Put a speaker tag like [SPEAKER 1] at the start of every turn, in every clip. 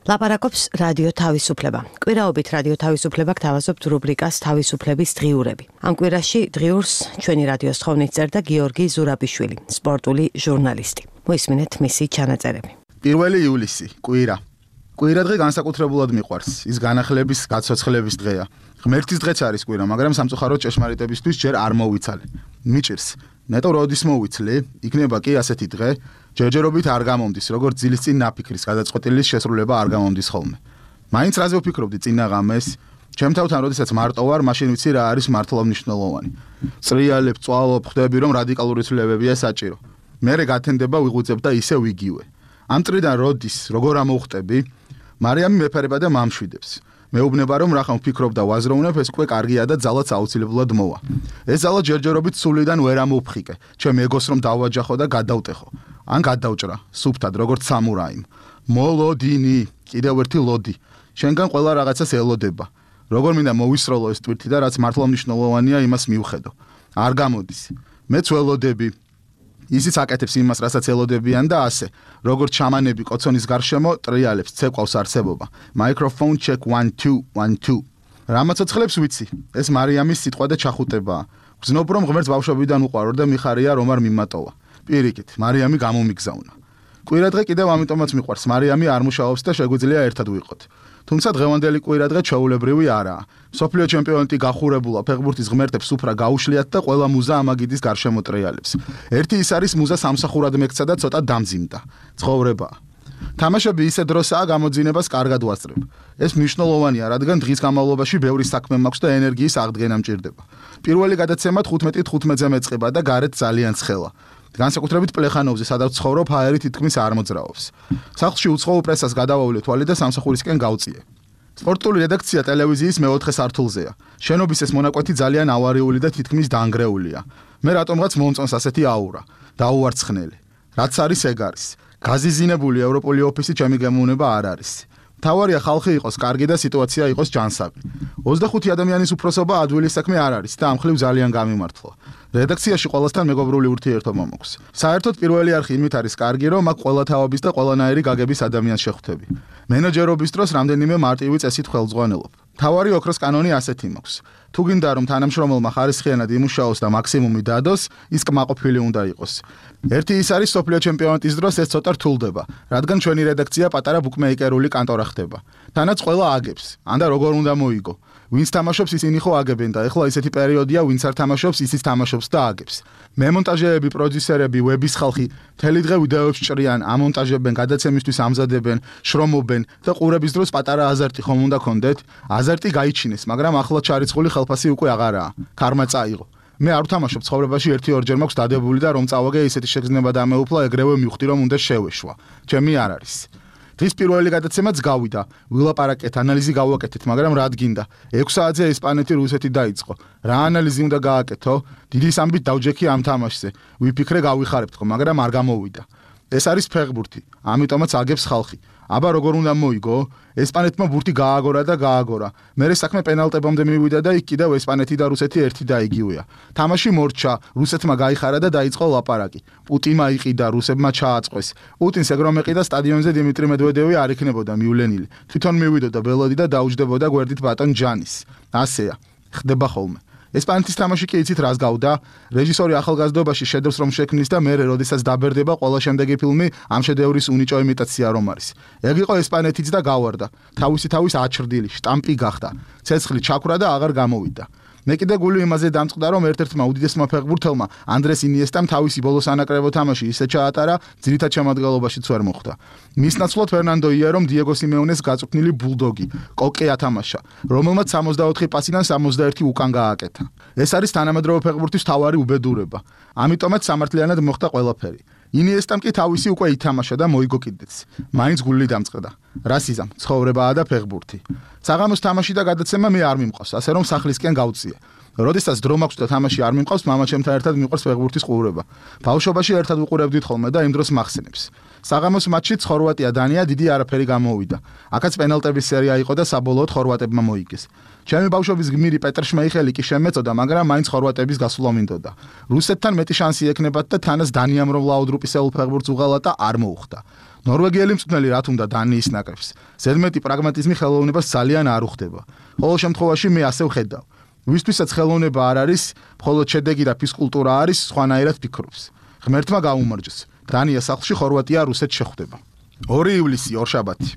[SPEAKER 1] ლაპარაკობს რადიო თავისუფლება. კვირაობით რადიო თავისუფლება გთავაზობთ რუბრიკას თავისუფლების დღიურები. ამ კვირაში დღიურს ჩვენი რადიოს თხოვნით წერდა გიორგი ზურაბიშვილი, სპორტული ჟურნალისტი. მოისმინეთ მისი ჩანაწერები.
[SPEAKER 2] 1 ივლისი, კვირა. კვირა დღე განსაკუთრებულად მიყვარს. ის განახლების, გაცოცხლების დღეა. ღმერთის დღეც არის კვირა, მაგრამ სამწუხაროდ ჭეშმარიტებისთვის ჯერ არ მოვიცალე. მიჭირს. ნეტო როდის მოვიცლი, იქნება კი ასეთი დღე, ჯერჯერობით არ გამომდის, როგორც ძილის წინ ნაფიქრის გადაწყვეტილის შესრულება არ გამომდის ხოლმე. მაინც რაზე ვფიქრობდი წინა ღამეს? ჩემ თავთან როდესაც მარტო ვარ, მაშინ ვიცი რა არის მართლა მნიშვნელოვანი. წრიალებ, წვალობ, ხვდები რომ რადიკალური ცვლილებებია საჭირო. მერე გათენდება ვიღვიძებ და ისე ვიგივე. ამ წრიდან როდის, როგორ ამოვხტები? მარიამი მეფერება და მამშვიდებს. მეუბნება რომ რახან ვფიქრობ და ვაზროვნებ, ეს უკვე კარგია და ძალაც აუცილებლად მოვა. ეს ძალა ჯერჯერობით სულიდან ვერ ამოვფხიკე. ჩემ ეგოს რომ დავაჯახო და გადავტეხო. ან გადავჭრა, სუფთად, როგორც სამურაიმ. მოლოდინი, კიდევ ერთი ლოდი. შენგან ყველა რაღაცას ელოდება. როგორ მინდა მოვისროლო ეს ტვირთი და რაც მართლა მნიშვნელოვანია, იმას მივხედო. არ გამოდის. მეც ველოდები. ისიც აკეთებს იმას, რასაც ელოდებიან და ასე. როგორც ჩამანები კოცონის გარშემო ტრიალებს, ცეკვავს არსებობა. Microphone check 1 2 1 2. რამაცოცხლებს ვიცი. ეს მარიამის სიტყვა და ჩახუტებაა. გრძნობ რომ ღმერთს ბავშვობიდან უყვარვარ და მიხარია რომ არ მიმატოვა. პირიქით, მარიამი გამომიგზავნა. კვირადღე კიდევ ამიტომაც მიყვარს. მარიამი არ მუშაობს და შეგვიძლია ერთად ვიყოთ. თუმცა დღევანდელი კვირადღე ჩვეულებრივი არაა. მსოფლიო ჩემპიონატი გახურებულა ფეხბურთის ღმერთებს უფრა გაუშლიათ და ყველა მუზა ამაგიდის გარშემო ტრიალებს. ერთი ის არის მუზა სამსახურად მეკცა და ცოტა დამძიმდა. ცხოვრებაა. თამაშები ისე დროსაა გამოძინებას კარგად ვასწრებ. ეს მნიშვნელოვანია, რადგან დღის განმავლობაში ბევრი საქმე მაქვს და ენერგიის აღდგენა მჭირდება. პირველი გადაცემა 15-15-ზე მეწყება და გარეთ ძალიან ცხელა. განსაკუთრებით პლეხანოვზე, სადაც ცხოვრობ, ჰაერი თითქმის არ მოძრაობს. სახლში უცხოურ პრესას გადავავლე თვალი და სამსახურისკენ გავწიე. სპორტული რედაქცია ტელევიზიის მეოთხე სართულზეა. შენობის ეს მონაკვეთი ძალიან ავარიული და თითქმის დანგრეულია. მე რატომღაც მომწონს ასეთი აურა. დაუვარცხნელი. რაც არის ეგ არის. გაზიზინებული ევროპული ოფისი ჩემი გემოვნება არ არის. თავარია ხალხი იყოს კარგი და სიტუაცია იყოს ჯანსაღი. 25 ადამიანის უფროსობა ადვილი საქმე არ არის და ამ ხრივ ძალიან გამიმართლა. რედაქციაში ყველასთან მეგობრული ურთიერთობა მაქვს. საერთოდ პირველი არხი იმით არის კარგი, რომ აქ ყველა თაობის და ყველანაირი გაგების ადამიანს შეხვდები. მენეჯერობის დროს რამდენიმე მარტივი წესით ხელმძღვანელობ. თავარი ოქროს კანონი ასეთი მაქვს. თუ გინდა რომ თანამშრომელმა ხარისხიანად იმუშაოს და მაქსიმუმი დადოს, ის კმაყოფილი უნდა იყოს. ერთი ის არის მსოფლიო ჩემპიონატის დროს ეს ცოტა რთულდება, რადგან ჩვენი რედაქცია პატარა ბუკმეიკერული კანტორა ხდება. თანაც ყველა აგებს, ან და როგორ უნდა მოიგო. ვინც თამაშობს ისინი ხო აგებენ და ეხლა ისეთი პერიოდია, ვინც არ თამაშობს, ისიც თამაშობს და აგებს. მემონტაჟეები, პროდიუსერები, ვების ხალხი მთელი დღე ვიდეოებს ჭრიან, ამონტაჟებენ, გადაცემისთვის ამზადებენ, შრომობენ და ყურების დროს პატარა აზარტი ხომ უნდა გქონდეთ? აზარტი გაიჩინეს, მაგრამ ახლა ჩარიცხული ხელფასი უკვე აღარაა. ქარმა წაიღო. მე არ ვთამაშობ ცხოვრებაში 1-2-ჯერ მაქვს დადებული და რომ წავაგე ისეთი შეგრძნება დამეუფლა, ეგრევე მივხვდი რომ უნდა შევეშვა. ჩემი არ არის. დღის პირველი გადაცემაც გავიდა. ვილაპარაკეთ, ანალიზი გავაკეთეთ, მაგრამ რა გინდა? 6 საათზე ესპანეთი რუსეთი დაიწყო. რა ანალიზი უნდა გააკეთო? დიდი სამბით დავჯექი ამ თამაშზე. ვიფიქრე გავიხარებთ ხო, მაგრამ არ გამოვიდა. ეს არის ფეხბურთი, ამიტომაც აგებს ხალხი. აბა როგორ უნდა მოიგო? ესპანეთმა ბურთი გააგორა და გააგორა. მერე საქმე პენალტებამდე მივიდა და იქ კიდევ ესპანეთი და რუსეთი ერთი და იგივეა. თამაში მორჩა, რუსეთმა გაიხარა და დაიწყო ლაპარაკი. პუტინმა იყიდა, რუსებმა ჩააწყვეს. პუტინს ეგ რომ ეყიდა სტადიონზე დიმიტრი მედვედევი არ იქნებოდა მივლენილი. თვითონ მივიდოდა ბელოდი და დაუჯდებოდა გვერდით ბატონ ჯანის. ასეა. ხდება ხოლმე. ესპანეთის თამაში კი იცით რას გავდა? რეჟისორი ახალგაზრდობაში შედევრს რომ შექმნის და მერე როდესაც დაბერდება ყველა შემდეგი ფილმი ამ შედევრის უნიჭო იმიტაცია რომ არის. ეგ იყო ესპანეთიც და გავარდა. თავის აჩრდილი, შტამპი გახდა. ცეცხლი ჩაქვრა და აღარ გამოვიდა. მე კიდე გული იმაზე დამწყდა რომ ერთ-ერთმა უდიდესმა ფეხბურთელმა ანდრეს ინიესტამ თავისი ბოლოს ანაკრებო თამაში ისე ჩაატარა, ძირითად შემადგენლობაშიც ვერ მოხვდა. მის ნაცვლად ფერნანდო იერომ დიეგო სიმეონეს გაწუქნილი ბულდოგი, კოკე ათამაშა, რომელმაც 64 პასიდან 61 უკან გააკეთა. ეს არის თანამედროვე ფეხბურთის მთავარი უბედურება. ამიტომაც სამართლიანად მოხდა ყველაფერი. ინიესტამ კი თავისი უკვე ითამაშა და მოიგო კიდეც. მაინც გული დამწყდა. რასიზამ, ცხოვრებაა და ფეხბურთი. საღამოს თამაში და გადაცემა მე არ მიმყავს, ასე რომ სახლისკენ გავწიე. როდესაც დრო მაქვს და თამაში არ მიმყავს, მამაჩემთან ერთად მიყვარს ფეხბურთის ყურება. ბავშვობაში ერთად ვიყურებდით ხოლმე და იმ დროს მახსენებს. საღამოს მატჩით ხორვატია-დანია დიდი არაფერი გამოუვიდა. აქაც პენალტების სერია იყო და საბოლოოდ ხორვატებმა მოიგეს. ჩემი ბავშვობის გმირი პეტრ შმეიხელი კი შემეწოდა, მაგრამ მაინც ხორვატების გასვლა მინდოდა. რუსეთთან მეტი შანსი ექნებათ და თანაც დანიამ რომ ლაუდრუპისეულ ფეხბურთს უღალატა არ მოუხდა. ნორვეგიელი მწვრთნელი რა თუნდა დანიის ნაკრებს. ზედმეტი პრაგმატიზმი ხელოვნებას ძალიან არ უხდება. ყოველ შემთხვევაში მე ასე ვხედავ. ვისთვისაც ხელოვნება არ არის, მხოლოდ შედეგი და ფიზკულტურა არის, სხვანაირად ფიქრობს. ღმერთმა გაუმარჯოს. დანია სახლში ხორვატია რუსეთს შეხვდება. 2 ივლისი ორშაბათი.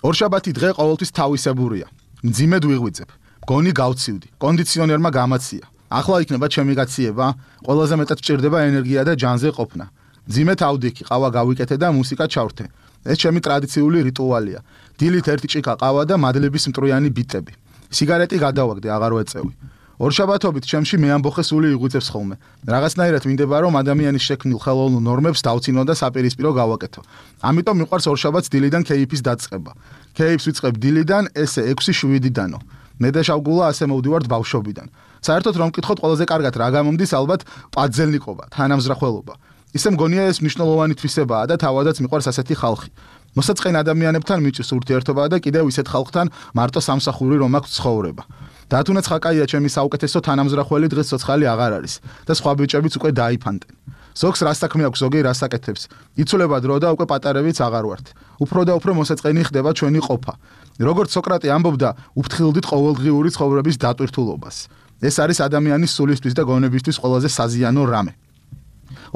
[SPEAKER 2] ორშაბათი დღე ყოველთვის თავისებურია. მძიმედ ვიღვიძებ. გონი გავცივდი. კონდიციონერმა გამაცია. ახლა იქნება ჩემი გაციება, ყველაზე მეტად ვჭირდება ენერგია და ჯანზე ყოფნა. მძიმედ ავდიქი, ყავა გავიკეთე და მუსიკა ჩავრთე. ეს ჩემი ტრადიციული რიტუალია. დილით ერთი ჭიქა ყავა და მადლების მტრუიანი ბიტები. სიგარეტი გადავაგდე, აღარ ვეწევი. ორშაბათობით ჩემში მეამბოხე სული იღვიძებს ხოლმე. რაღაცნაირად მინდება რომ ადამიანის შექმნილ ხელოვნურ ნორმებს დავცინო და საპირისპირო გავაკეთო. ამიტომ მიყვარს ორშაბათს დილიდან კეიფის დაწყება. კეიფს ვიწყებ დილიდან, ესე 6-7-დანო. მე და შავგულა ასე მოვდივართ ბავშვობიდან. საერთოდ რომ მკითხოთ, ყველაზე კარგად რა გამომდის, ალბათ პაძელნიკობა, თანამზრახველობა. ისე მგონია ეს მნიშვნელოვანი თვისებაა და თავადაც მიყვარს ასეთი ხალხი. მოსაწყენ ადამიანებთან მიჭირს ურთიერთობა და კიდევ ისეთ ხალხთან მარტო სამსახური რომ აქვს ცხოვრება. დათუნაც ხაკაია ჩემი საუკეთესო თანამზრახველი დღეს ცოცხალი აღარ არის და სხვა ბიჭებიც უკვე დაიფანტენ. ზოგს რა საქმე აქვს, ზოგი რა საკეთებს. იცვლება დრო და უკვე პატარებიც აღარ ვართ. უფრო და უფრო მოსაწყენი ხდება ჩვენი ყოფა. როგორც სოკრატე ამბობდა, უფრთხილდით ყოველდღიური ცხოვრების დატვირთულობას. ეს არის ადამიანის სულისთვის და გონებისთვის ყველაზე საზიანო რამე.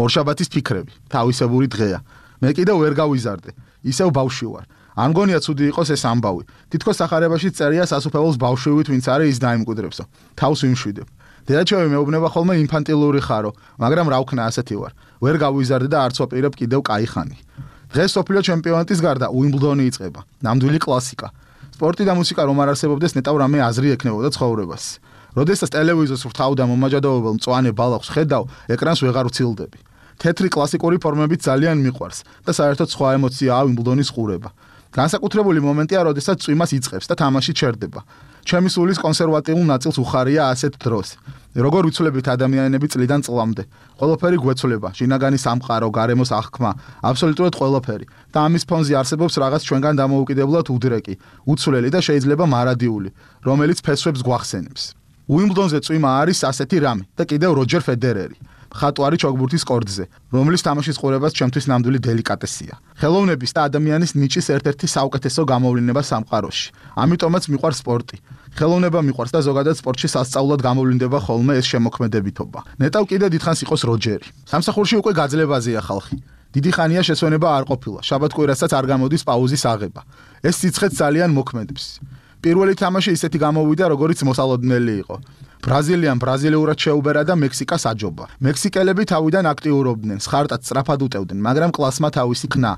[SPEAKER 2] ორშაბათის ფიქრები, თავისებური დღეა. მე კიდევ ვერ გავიზარდე. ისევ ბავშვი ვარ. არ მგონია ცუდი იყოს ეს ამბავი. თითქოს სახარებაში წერია სასუფეველს ბავშვივით ვინც არის ის დაიმკვიდრებსო. თავს ვიმშვიდებ. დედაჩემი მეუბნება ხოლმე ინფანტილური ხარო, მაგრამ რა ვქნა ასეთი ვარ. ვერ გავიზარდე და არც ვაპირებ კიდევ კაი ხანი. დღეს სოფლიო ჩემპიონატის გარდა უიმბლდონი იწყება. ნამდვილი კლასიკა. სპორტი და მუსიკა რომ არ არსებობდეს, ნეტავ რამე აზრი ექნებოდა ცხოვრებას. როდესაც ტელევიზორს ვრთავ და მომაჯადოებელ მწვანე ბალახს ხედავ, ეკრანს ვეღარ ვცილდები. თეთრი კლასიკური ფორმებით ძალიან მიყვარს და საერთოდ სხვა ემოციაა უიმბლდონის ყურება. განსაკუთრებული მომენტია, როდესაც წვიმას იწყებს და თამაში ჩერდება. ჩემი სულის კონსერვატიულ ნაწილს უხარია ასეთ დროს. როგორ ვიცვლებით ადამიანები წლიდან წლამდე. ყველაფერი გვეცვლება, შინაგანი სამყარო, გარემოს აღქმა, აბსოლუტურად ყველაფერი. და ამის ფონზე არსებობს რაღაც ჩვენგან დამოუკიდებლად უდრეკი, უცვლელი და შეიძლება მარადიული, რომელიც ფესვებს გვახსენებს. უიმბლდონზე წვიმა არის ასეთი რამე და კიდევ როჯერ ფედერერი. ხატვარი ჩოგბურთის კორდზე, რომლის თამაშის ყურებაც ჩემთვის ნამდვილი დელიკატესია. ხელოვნების და ადამიანის ნიჭის ერთ-ერთი საუკეთესო გამოვლენა სამყაროში. ამიტომაც მიყვარს სპორტი. ხელოვნება მიყვარს და ზოგადად სპორტში სასწაულად გამოვლინდება ხოლმე ეს შემოქმედებითობა. ნეტავ კიდე დიდხანს იყოს როჯერი. სამსახურში უკვე გაძლებაზეა ხალხი. დიდი ხანია შესვენება არ ყოფილა. შაბათ-კვირასაც არ გამოდის პაუზის აღება. ეს სიცხეც ძალიან მოქმედებს. პირველი თამაში ისეთი გამოვიდა, როგორც მოსალოდნელი იყო. ბრაზილიამ ბრაზილიურად შეუბერა და მექსიკას აჯობა. მექსიკელები თავიდან აქტიურობდნენ, სხარტად სწრაფად უტევდნენ, მაგრამ კლასმა თავისი ქნა.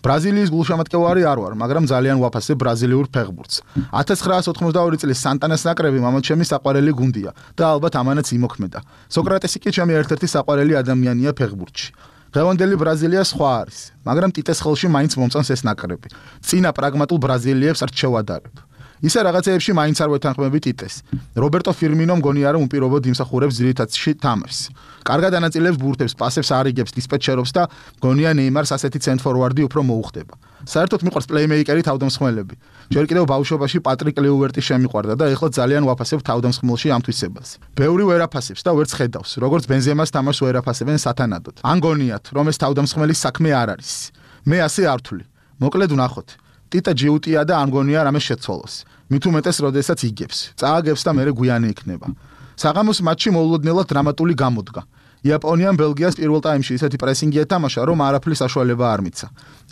[SPEAKER 2] ბრაზილიის გულშემატკივარი არ ვარ, მაგრამ ძალიან ვაფასებ ბრაზილიურ ფეხბურთს. 1982 წლის სანტანას ნაკრები მამაჩემი საყვარელი გუნდია და ალბათ ამანაც იმოქმედა. სოკრატესი კი ჩემი ერთ-ერთი საყვარელი ადამიანია ფეხბურთში. დღევანდელი ბრაზილია სხვა არის, მაგრამ ტიტეს ხელში მაინც მომწონს ეს ნაკრები. წინა პრაგმატულ ბრაზილიებს რჩევადარებ. ისე რაღაცეებში მაინც არ ვეთანხმები ტიტეს. რობერტო ფირმინო მგონია რომ უპირობოდ იმსახურებს ძირითადში თამაშს. კარგად ანაწილებს ბურთებს, პასებს არიგებს, დისპეჩერობს და მგონია ნეიმარს ასეთი ცენტრ-ფორვარდი უფრო მოუხდება. საერთოდ მიყვარს პლეიმეიკერი თავდამსხმელები. ჯერ კიდევ ბავშვობაში პატრიკ ლიუვერტი შემიყვარდა და ეხლა ძალიან ვაფასებ თავდამსხმელში ამ თვისებას. ბევრი ვერ აფასებს და ვერც ხედავს, როგორც ბენზემას თამაშს ვერ აფასებენ სათანადოდ. ან გონიათ, რომ ეს თავდამსხმელის საქმე არ არის. მე ასე არ ვთვლი. მოკლედ ვნახოთ. ტიტა ჯიუტია და ან გონია რამე შეცვალოს. მით უმეტეს როდესაც იგებს, წააგებს და მერე გვიანი იქნება. საღამოს მატჩი მოულოდნელად დრამატული გამოდგა. იაპონიამ ბელგიას პირველ ტაიმში ისეთი პრესინგი ეთამაშა, რომ არაფრის საშუალება არ მიცა.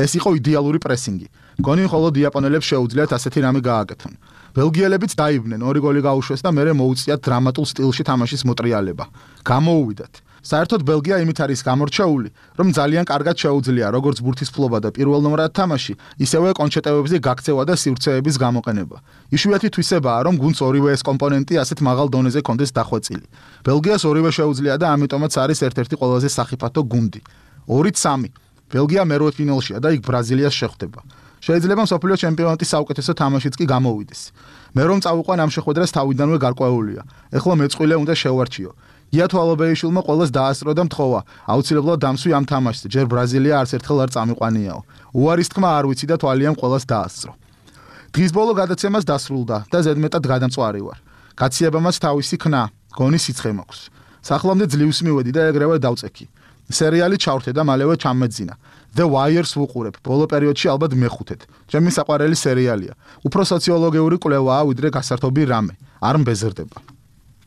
[SPEAKER 2] ეს იყო იდეალური პრესინგი. გონი მხოლოდ იაპონელებს შეუძლიათ ასეთი რამე გააკეთონ. ბელგიელებიც დაიბნენ, 2 გოლი გაუშვეს და მერე მოუწიათ დრამატულ სტილში თამაშის მოტრიალება. გამოუვიდათ. საერთოდ ბელგია იმით არის გამორჩეული, რომ ძალიან კარგად შეუძლია როგორც ბურთის ფლობა და პირველნომრად თამაში, ისევე კონჩეტევებზე გაქცევა და სივრცეების გამოყენება. იშვიათი თვისებაა, რომ გუნდს ორივე ეს კომპონენტი ასეთ მაღალ დონეზე კონდეს დახვეწილი. ბელგიას ორივე შეუძლია და ამიტომაც არის ერთ-ერთი ყველაზე სახიფათო გუნდი. 2-3. ბელგია მერვედფინალშია და იქ ბრაზილიას შეხვდება. შეიძლება მსოფლიო ჩემპიონატის საუკეთესო თამაშიც კი გამოვიდეს. მე რომ წავიყვან ამ შეხვედრას თავიდანვე გარკვეულია. ეხლა მეწყვილე უნდა შევარჩიო. იათვალობეიშვილმა ყველას დაასწრო და მთხოვა აუცილებლად დამსვი ამ თამაშზე, ჯერ ბრაზილია არც ერთხელ არ წამიყვანიაო. უარის თქმა არ ვიცი და თვალიამ ყველას დაასწრო. დღის ბოლო გადაცემას დასრულდა და ზედმეტად გადამწვარი ვარ. გაციებამაც თავისი ხნა, გონი სიცხე მაქვს. სახლამდე ძლივს მივედი და ეგრევე დავწექი. სერიალი ჩავრთე და მალევე ჩამეძინა. The Wire-ს ვუყურებ, ბოლო პერიოდში ალბათ მეხუთედ. ჩემი საყვარელი სერიალია. უფრო სოციოლოგიური კვლევაა, ვიდრე გასართობი რამე. არ მბეზრდება.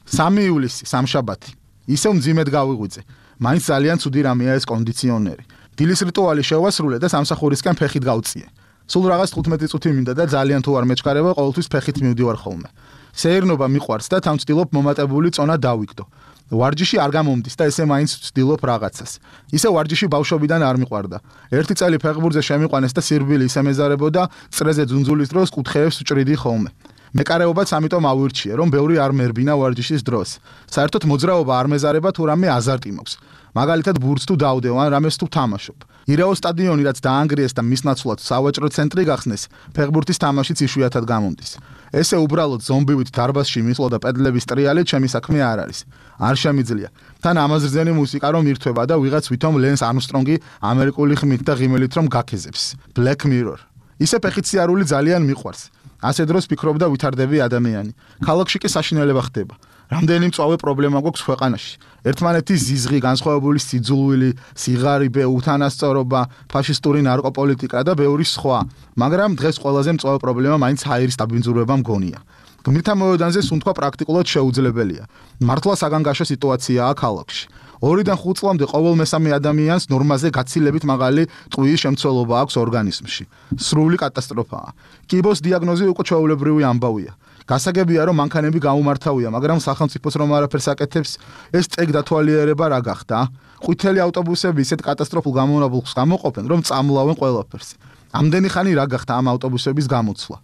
[SPEAKER 2] 3 ივლისი, სამშაბათი. ისევ მძიმედ გავიღვიძე. მაინც ძალიან ცუდი რამეა ეს კონდიციონერი. დილის რიტუალი შევასრულე და სამსახურისკენ ფეხით გავწიე. სულ რაღაც 15 წუთი მინდა და ძალიან თუ არ მეჩქარება, ყოველთვის ფეხით მივდივარ ხოლმე. სეირნობა მიყვარს და თან ვცდილობ მომატებული წონა დავიგდო. ვარჯიში არ გამომდის და ესე მაინც ვცდილობ რაღაცას. ისე ვარჯიში ბავშვობიდან არ მიყვარდა. ერთი წელი ფეხბურთზე შემიყვანეს და სირბილი ისე მეზარებოდა, წრეზე ძუნძულის დროს კუთხეებს ვჭრიდი ხოლმე. მეკარეობაც ამიტომ ავირჩიე, რომ ბევრი არ მერბინა ვარჯიშის დროს. საერთოდ მოძრაობა არ მეზარება თუ რამე აზარტი მაქვს. მაგალითად ბურთს თუ დავდევ ან რამეს თუ თამაშობ. ირაო სტადიონი რაც დაანგრიეს და მის ნაცვლად სავაჭრო ცენტრი გახსნეს, ფეხბურთის თამაშიც იშვიათად გამომდის. ესე უბრალოდ ზომბივით დარბაზში მისვლა და პედლების ტრიალით ჩემი საქმე არ არის. არ შემიძლია. თან ამაზრზენი მუსიკა რომ ირთვება და ვიღაც ვითომ ლენს არმსტრონგი ამერიკული ხმით და ღიმილით რომ გაქეზებს. Black Mirror. ისე ფეხით სიარული ძალიან მიყვარს. ასე დროს ფიქრობდა ვითარდები ადამიანი. ქალაქში კი საშინელება ხდება. რამდენი მწვავე პრობლემა გვაქვს ქვეყანაში. ერთმანეთის ზიზღი, განსხვავებული სიძულვილი, სიღარიბე, უთანასწორობა, ფაშისტური ნარკოპოლიტიკა და ბევრი სხვა. მაგრამ დღეს ყველაზე მწვავე პრობლემა მაინც ჰაერის დაბინძურება მგონია. გმირთა მოედანზე სუნთქვა პრაქტიკულად შეუძლებელია. მართლა საგანგაშო სიტუაციაა ქალაქში. 2-დან 5 წლამდე ყოველ მესამე ადამიანს ნორმაზე გაცილებით მაღალი ტყუის შემცველობა აქვს ორგანიზმში. სრული კატასტროფაა. კიბოს დიაგნოზი უკვე ჩვეულებრივი ამბავია. გასაგებია რომ მანქანები გაუმართავია, მაგრამ სახელმწიფოს რომ არაფერს აკეთებს, ეს წეგ დათვალიერება რა გახდა? ყვითელი ავტობუსები ისეთ კატასტროფულ გამონაბოლქვს გამოყოფენ, რომ წამლავენ ყველაფერს. ამდენი ხანი რა გახდა ამ ავტობუსების გამოცვლა?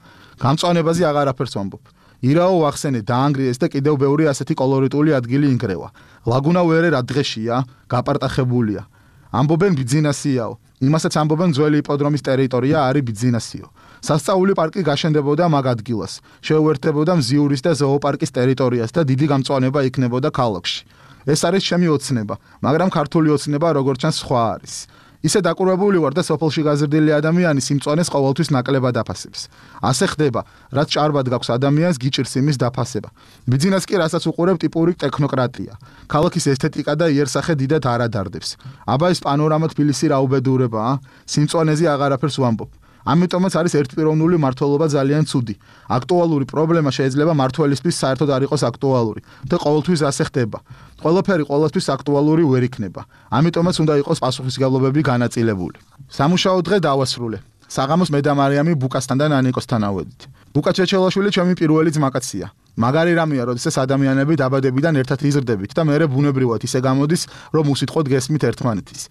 [SPEAKER 2] გამწვანებაზე აღარაფერს ვამბობ. ირაო ვახსენე დაანგრიეს და კიდევ ბევრი ასეთი კოლორიტული ადგილი ინგრევა. ლაგუნა ვერე რა დღეშია, გაპარტახებულია. ამბობენ ბიძინასიაო. იმასაც ამბობენ ძველი იპოდრომის ტერიტორია არის ბიძინასიო. სასწაული პარკი გაშენდებოდა მაგ ადგილას. შეუერთდებოდა მზიურის და ზოოპარკის ტერიტორიას და დიდი გამწვანება იქნებოდა ქალაქში. ეს არის ჩემი ოცნება, მაგრამ ქართული ოცნება როგორც ჩანს სხვა არის. ისე დაკურვებული ვარ და სოფელში გაზრდილი ადამიანი სიმწვანეს ყოველთვის ნაკლებად აფასებს. ასე ხდება, რაც ჭარბად გაქვს ადამიანს გიჭირს იმის დაფასება. ბიძინას კი რასაც უყურებ ტიპური ტექნოკრატია. ქალაქის ესთეტიკა და იერსახე დიდად არ ადარდებს. აბა ეს პანორამა თბილისი რა უბედურებაა? სიმწვანეზე აღარაფერს ვამბობ. ამიტომაც არის ერთპიროვნული მართლობა ძალიან ცუდი. აქტუალური პრობლემა შეიძლება მართველისთვის საერთოდ არ იყოს აქტუალური და ყოველთვის ასე ხდება. ყველაფერი ყოველთვის აქტუალური ვერ იქნება. ამიტომაც უნდა იყოს პასუხისმგებლობები განაწილებული. სამუშაო დღე დავასრულე. საღამოს მე და მარიამი ბუკასთან და ნანიკოსთან ავედით. ბუკა ჩეჩელაშვილი ჩემი პირველი ძმაკაცია. მაგარი რამეა, როდესაც ადამიანები დაბადებიდან ერთად იზრდებით და მერე ბუნებრივად ისე გამოდის, რომ უსიტყვოდ გესმით ერთმანეთის.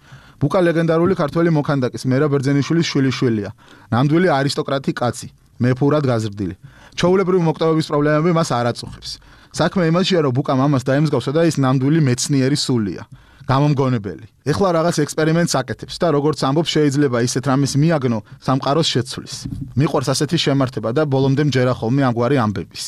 [SPEAKER 2] ბუკა ლეგენდარული ქართველი მოქანდაკის მერაბ ბერძენიშვილის შვილიშვილია. ნამდვილი არისტოკრატი კაცი, მეფურად გაზრდილი. ჩვეულებრივი მოკვდავების პრობლემები მას არ აწუხებს. საქმე იმაშია, რომ ბუკა მამას დაემსგავსა და ის ნამდვილი მეცნიერი სულია. გამომგონებელი. ეხლა რაღაც ექსპერიმენტს აკეთებს და როგორც ამბობს შეიძლება ისეთ რამეს მიაგნო სამყაროს შეცვლის. მიყვარს ასეთი შემართება და ბოლომდე მჯერა ხოლმე ამგვარი ამბების.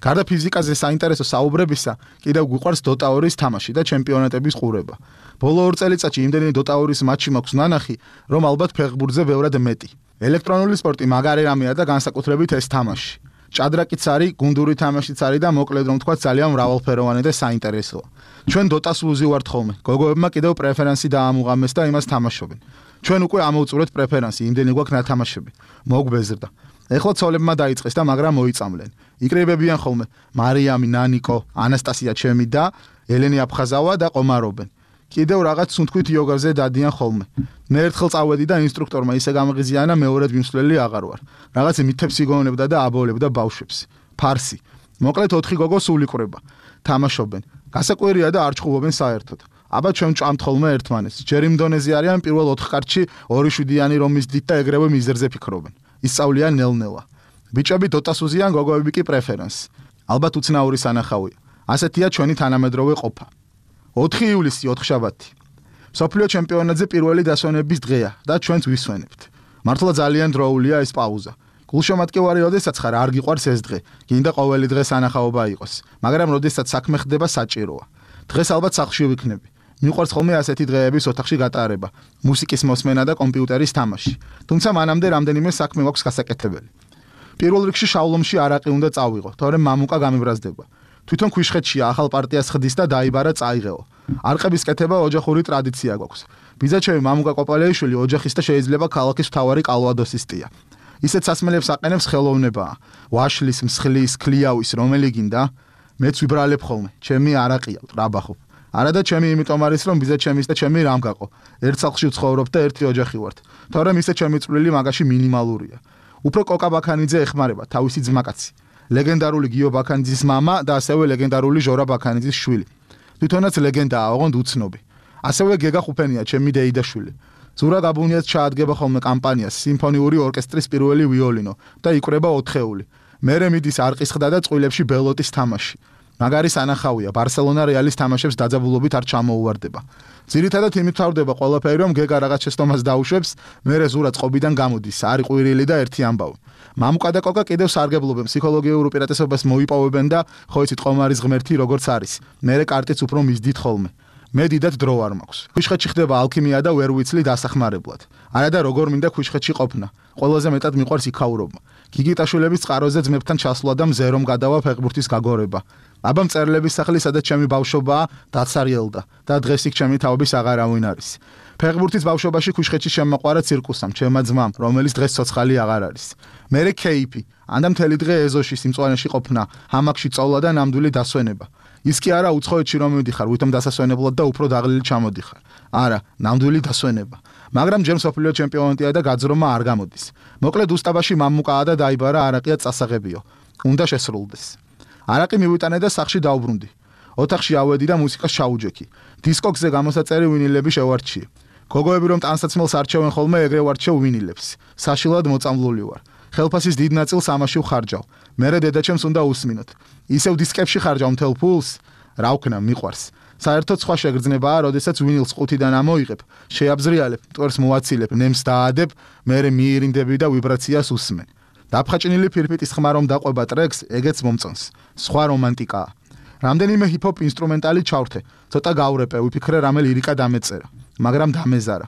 [SPEAKER 2] გარდა ფიზიკაზე საინტერესო საუბრებისა, კიდევ გვიყვარს Dota 2-ის თამაში და ჩემპიონატების ყურება. ბოლო 2 წელიწადში იმდენი Dota 2-ის მატჩი მაქვს ნანახი, რომ ალბათ ფეხბურთზე ბევრად მეტი. ელექტრონული სპორტი მაგარი რამეა და განსაკუთრებით ეს თამაში. ჭადრაკიც არის, გუნდური თამაშიც არის და მოკლედ რომ თქვა ძალიან მრავალფეროვანი და საინტერესოა. ჩვენ Dota-ს ვუზივართ ხოლმე. გოგოებმა კიდევ პრეფერენსი დაამუღამეს და იმას თამაშობენ. ჩვენ უკვე ამოვწურეთ პრეფერენსი, იმდენი გვაქვს ნათამაშები. მოგვბეზრდა. ეხლა ცოლებმა დაიწყეს და მაგრამ მოიწამლენ. იკრიბებიან ხოლმე მარიამი, ნანიკო, ანასტასია ჩემი და ელენი აფხაზავა და ყომარობენ. კიდევ რაღაც სუნთქვით იოგაზე დადიან ხოლმე. მე ერთხელ წავედი და ინსტრუქტორმა ისე გამღიზიანა, მეორედ მიმსვლელი აღარ ვარ. რაღაც მითებს იგონებდა და აბოლებდა ბავშვებს. ფარსი. მოკლედ 4 გოგო სულ იყრება. თამაშობენ. გასაკვირია და არ ჩხუბობენ საერთოდ. აბა ჩვენ ჭამთ ხოლმე ერთმანეთს. ჯერ იმ დონეზე არიან პირველ 4 კარტში 2-7-იანი რომის დიდ და ეგრევე მიზერზე ფიქრობენ. ისწავლიან ნელ-ნელა. ბიჭები Dota-ს უზიან, გოგოები კი პრეფერენს. ალბათ უცნაური სანახავია. ასეთია ჩვენი თანამედროვე ყოფა. 4 ივლისი 4 შაბათი. სოფლიო ჩემპიონატზე პირველი დასვენების დღეა და ჩვენც ვისვენებთ. მართლა ძალიან დროულია ეს პაუზა. გულშემატკივარი როდესაც ხარ არ გიყვარს ეს დღე. გინდა ყოველი დღე სანახაობა იყოს, მაგრამ როდესაც საქმე ხდება საჭიროა. დღეს ალბათ სახლში ვიქნები. მიყვარს ხოლმე ასეთი დღეების ოთახში გატარება, მუსიკის მოსმენა და კომპიუტერის თამაში. თუმცა მანამდე რამდენიმე საქმე გვაქვს გასაკეთებელი. პირველ რიგში შავლომში არაყი უნდა წავიღო, თორემ მამუკა გამიბრაზდება. თვითონ ქვიშხეთშია ახალ პარტიას ხდის და დაიბარა წაიღეო. არყების კეთება ოჯახური ტრადიცია გვაქვს. ბიძაჩემი მამუკა კოპალეიშვილი ოჯახის და შეიძლება ქალაქის მთავარი კალვადოსისტია. ისეთ სასმელებს აყენებს ხელოვნებაა. ვაშლის, მსხლის, ქლიავის, რომელი გინდა? მეც ვიბრალებ ხოლმე. ჩემი არაყია, ტრაბახობ. არა და ჩემი იმიტომ არის რომ ბიძაჩემის და ჩემი რამ გაყო. ერთ სახლში ვცხოვრობ და ერთი ოჯახი ვართ. თორემ ისე ჩემი წვლილი მაგაში მინიმალურია. უფრო კოკა ბაქანიძე ეხმარება თავისი ძმაკაცი. ლეგენდარული გიო ბაქანიძის მამა და ასევე ლეგენდარული ჟორა ბაქანიძის შვილი. თვითონაც ლეგენდაა, ოღონდ უცნობი. ასევე გეგა ხუფენია, ჩემი დეიდაშვილი. ზურა გაბუნიას ჩაადგება ხოლმე კამპანიას სიმფონიური ორკესტრის პირველი ვიოლინო და იკვრება ოთხეული. მერე მიდის არყისხდა და წყვილებში ბელოტის თამაში. მაგარი სანახავია, ბარსელონა რეალის თამაშებს დაძაბულობით არ ჩამოუვარდება. ძირითადად იმით თავდება ყველაფერი, რომ გეგა რაღაც შეცდომას დაუშვებს, მერე ზურა წყობიდან გამოდის, არი ყვირილი და ერთი ამბავი. მამუკა და კოკა კიდევ სარგებლობენ, ფსიქოლოგიურ უპირატესობას მოიპოვებენ და ხო იცით ყომარის ღმერთი როგორც არის. მერე კარტიც უფრო მისდით ხოლმე. მე დიდად დრო არ მაქვს. ქვიშხეთში ხდება ალქიმია და ვერ ვიცლი დასახმარებლად. არა და როგორ მინდა ქვიშხეთში ყოფნა. ყველაზე მეტად მიყვარს იქაურობა. გიგიტაშვილების წყაროზე ძმებთან ჩასვლა და მზერომ გადავა ფეხბურთის გაგორება. აბა მწერლების სახლი, სადაც ჩემი ბავშვობაა, დაცარიელდა და დღეს იქ ჩემი თაობის აღარავინ არის. ფეხბურთის ბავშვობაში ქვიშხეთში შემოყვარა ცირკუსამ, ჩემმა ძმამ, რომელიც დღეს ცოცხალი აღარ არის. მერე კეიფი, ანდა მთელი დღე ეზოში სიმწვანეში ყოფნა, ჰამაკში წოვლა და ნამდვილი დასვენება. ის კი არა უცხოეთში რომ მივდიხარ, ვითომ დასასვენებლად და უფრო დაღლილი ჩამოდიხარ. არა, ნამდვილი დასვენება. მაგრამ ჯერ მსოფლიო ჩემპიონატია და გაძრომა არ გამოდის. მოკლედ უსტაბაში მამუკაა და დაიბარა არაყია წასაღებიო. უნდა შესრულდეს. არაყი მივიტანე და სახში დავბრუნდი. ოთახში ავედი და მუსიკას ჩაუჯექი. დისკოქსზე გამოსაწერი ვინილები შევარჩიე. გოგოები რომ ტანსაცმელს არჩევენ ხოლმე, ეგრე ვარჩევ ვინილებს. საშილად მოწამლული ვარ. ხელფასის დიდ ნაწილს ამაში ვხარჯავ. მერე დედაჩემს უნდა უსმინოთ. ისევ დისკებში ხარჯავ მთელ ფულს. რა ვქნა, მიყვარს. საერთოდ სხვა შეგრძნებაა, როდესაც ვინილს ყუთიდან ამოიღებ, შეაბზრიალებ, მტვერს მოვაცილებ, ნემს დაადებ, მერე მიირინდები და ვიბრაციას უსმენ. დაფხაჭნილი ფირფიტის ხმა რომ დაყვება ტრეკს, ეგეც მომწონს. სხვა რომანტიკაა. რამდენიმე ჰიპ-ჰოპ ინსტრუმენტალი ჩავრთე, ცოტა გავრეპე, ვიფიქრე რამე ლირიკა დამეწერა, მაგრამ დამეზარა.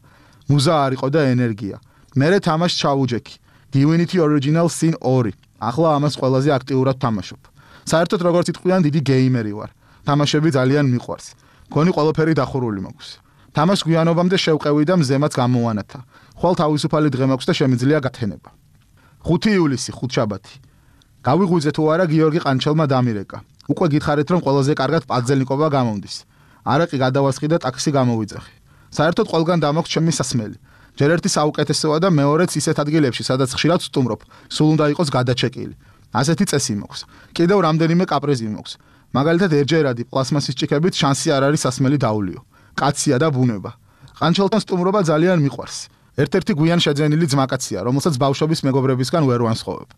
[SPEAKER 2] მუზა არ იყო და ენერგია. მერე თამაშს ჩავუჯექი. Divinity Original Sin 2. ახლა ამას ყველაზე აქტიურად თამაშობ. საერთოდ როგორც იტყვიან, დიდი გეიმერი ვარ. თამაშები ძალიან მიყვარს. გონი ყველაფერი დახურული მაქვს. თამაშს გვიანობამდე შევყევი და მზემაც გამოვანათა. ხვალ თავისუფალი დღე მაქვს და შემიძლია გათენება. 5 ივლისი, ხუთშაბათი. გავიღვიძე თუ არა გიორგი ყანჩელმა დამირეკა. უკვე გითხარით რომ ყველაზე კარგად პაძელნიკობა გამომდის. არაყი გადავასხი და ტაქსი გამოვიძახი. საერთოდ ყველგან დამოქვს ჩემი სასმელი. ჯერ ერთი საუკეთესოა და მეორეც ისეთ ადგილებში, სადაც ხშირად ვსტუმრობ, სულ უნდა იყოს გადაჩეკილი. ასეთი წესი მაქვს. კიდევ რამდენიმე კაპრიზი მაქვს. მაგალითად ერთჯერადი პლასმასის ჭიქებით შანსი არ არის სასმელი დაულიო. კაცია და ბუნება. ყანჩელთან სტუმრობა ძალიან მიყვარს. ერთ-ერთი გვიან შეძენილი ძმაკაცია, რომელსაც ბავშვობის მეგობრებისგან ვერ ვანსხოვებ.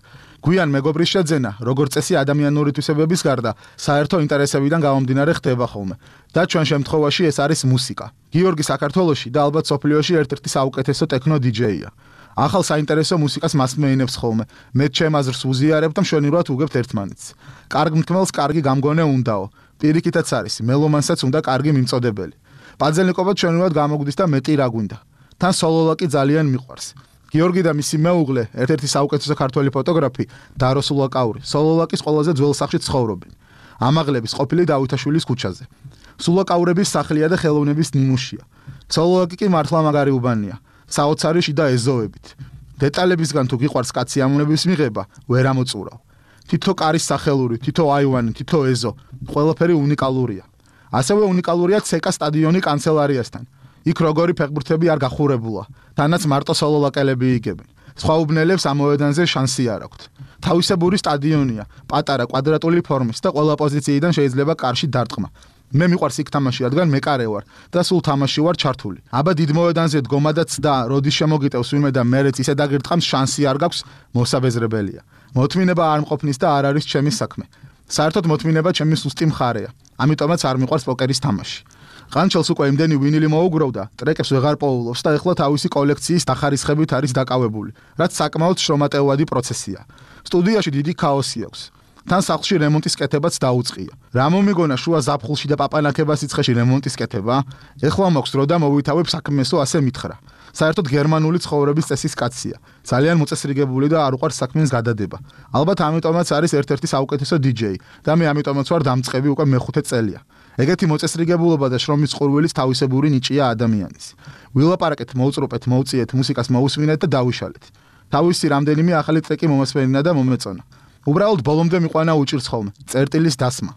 [SPEAKER 2] გვიან მეგობრის შეძენა, როგორც წესი ადამიანური თვისებების გარდა, საერთო ინტერესებიდან გამომდინარე ხდება ხოლმე. და ჩვენ შემთხვევაში ეს არის მუსიკა. გიორგი საქართველოში და ალბათ სოფლიოში ერთ-ერთი საუკეთესო ტექნო დიჯეია. ახალ საინტერესო მუსიკას მასმეინებს ხოლმე. მე ჩემ აზრს უზიარებ და მშვენივრად უგებთ ერთმანეთს. კარგ მკმელს კარგი გამგონე უნდაო. პირიქითაც არის, მელომანსაც უნდა კარგი მიმწოდებელი. პაძელნიკობა ჩვენურად გამოგვდის და მეტი რა გვინდა. თან სოლოლაკი ძალიან მიყვარს. გიორგი და მისი მეუღლე, ერთ-ერთი საუკეთესო ქართველი ფოტოგრაფი, დარო სულაკაური, სოლოლაკის ყველაზე ძველ სახლში ცხოვრობენ. ამაღლების ყოფილი დავითაშვილის ქუჩაზე. სულაკაურების სახლია და ხელოვნების ნიმუშია. სოლოლაკი კი მართლა მაგარი უბანია. საოცარი შიდა ეზოებით. დეტალებისგან თუ გიყვარს კაცი ამონების მიღება, ვერ ამოწურავ. თითო კარის სახელური, თითო აივანი, თითო ეზო, ყველაფერი უნიკალურია. ასევე უნიკალურია ცეკა სტადიონი კანცელარიასთან. იქ როგორი ფეხბურთები არ გახურებულა, თანაც მარტო სოლოლაკელები იგებენ. სხვა უბნელებს ამ მოედანზე შანსი არ აქვთ. თავისებური სტადიონია, პატარა კვადრატული ფორმის და ყველა პოზიციიდან შეიძლება კარში დარტყმა. მე მიყვარს იქ თამაში, რადგან მეკარე ვარ და სულ თამაში ვარ ჩართული. აბა დიდ მოედანზე დგომადაც და როდის შემოგიტევს ვინმე და მერეც ისე დაგირტყამს, შანსი არ გაქვს, მოსაბეზრებელია. მოთმინება არ მყოფნის და არ არის ჩემი საქმე. საერთოდ მოთმინება ჩემი სუსტი მხარეა. ამიტომაც არ მიყვარს პოკერის თამაში. ყანჩელს უკვე იმდენი ვინილი მოუგროვდა, ტრეკებს ვეღარ პოულობს და ეხლა თავისი კოლექციის დახარისხებით არის დაკავებული, რაც საკმაოდ შრომატევადი პროცესია. სტუდიაში დიდი ქაოსი აქვს. თან სახლში რემონტის კეთებაც დაუწყია. რა მომიგონა შუა ზაფხულში და პაპანაკებას იცხეში რემონტის კეთება? ეხლა მაქვს დრო და მოვითავებ საქმესო ასე მითხრა. საერთოდ გერმანული ცხოვრების წესის კაცია. ძალიან მოწესრიგებული და არ უყვარს საქმის გადადება. ალბათ ამიტომაც არის ერთ-ერთი საუკეთესო DJ და მე ამიტომაც ვარ დამწყები უკვე მეხუთე წელია. ეგეთი მოწესრიგებულობა და შრომის ყურვილის თავისებური ნიჭია ადამიანის. ვილაპარაკეთ, მოვწრუპეთ, მოვწიეთ, მუსიკას მოусვინეთ და დავიშალეთ. თავისი რამდენიმე ახალი ტრეკი მომასვენინა და მომეწონა. უბრალოდ ბოლომდე მიყვანა უჭირს ხოლმე წერტილის დასმა.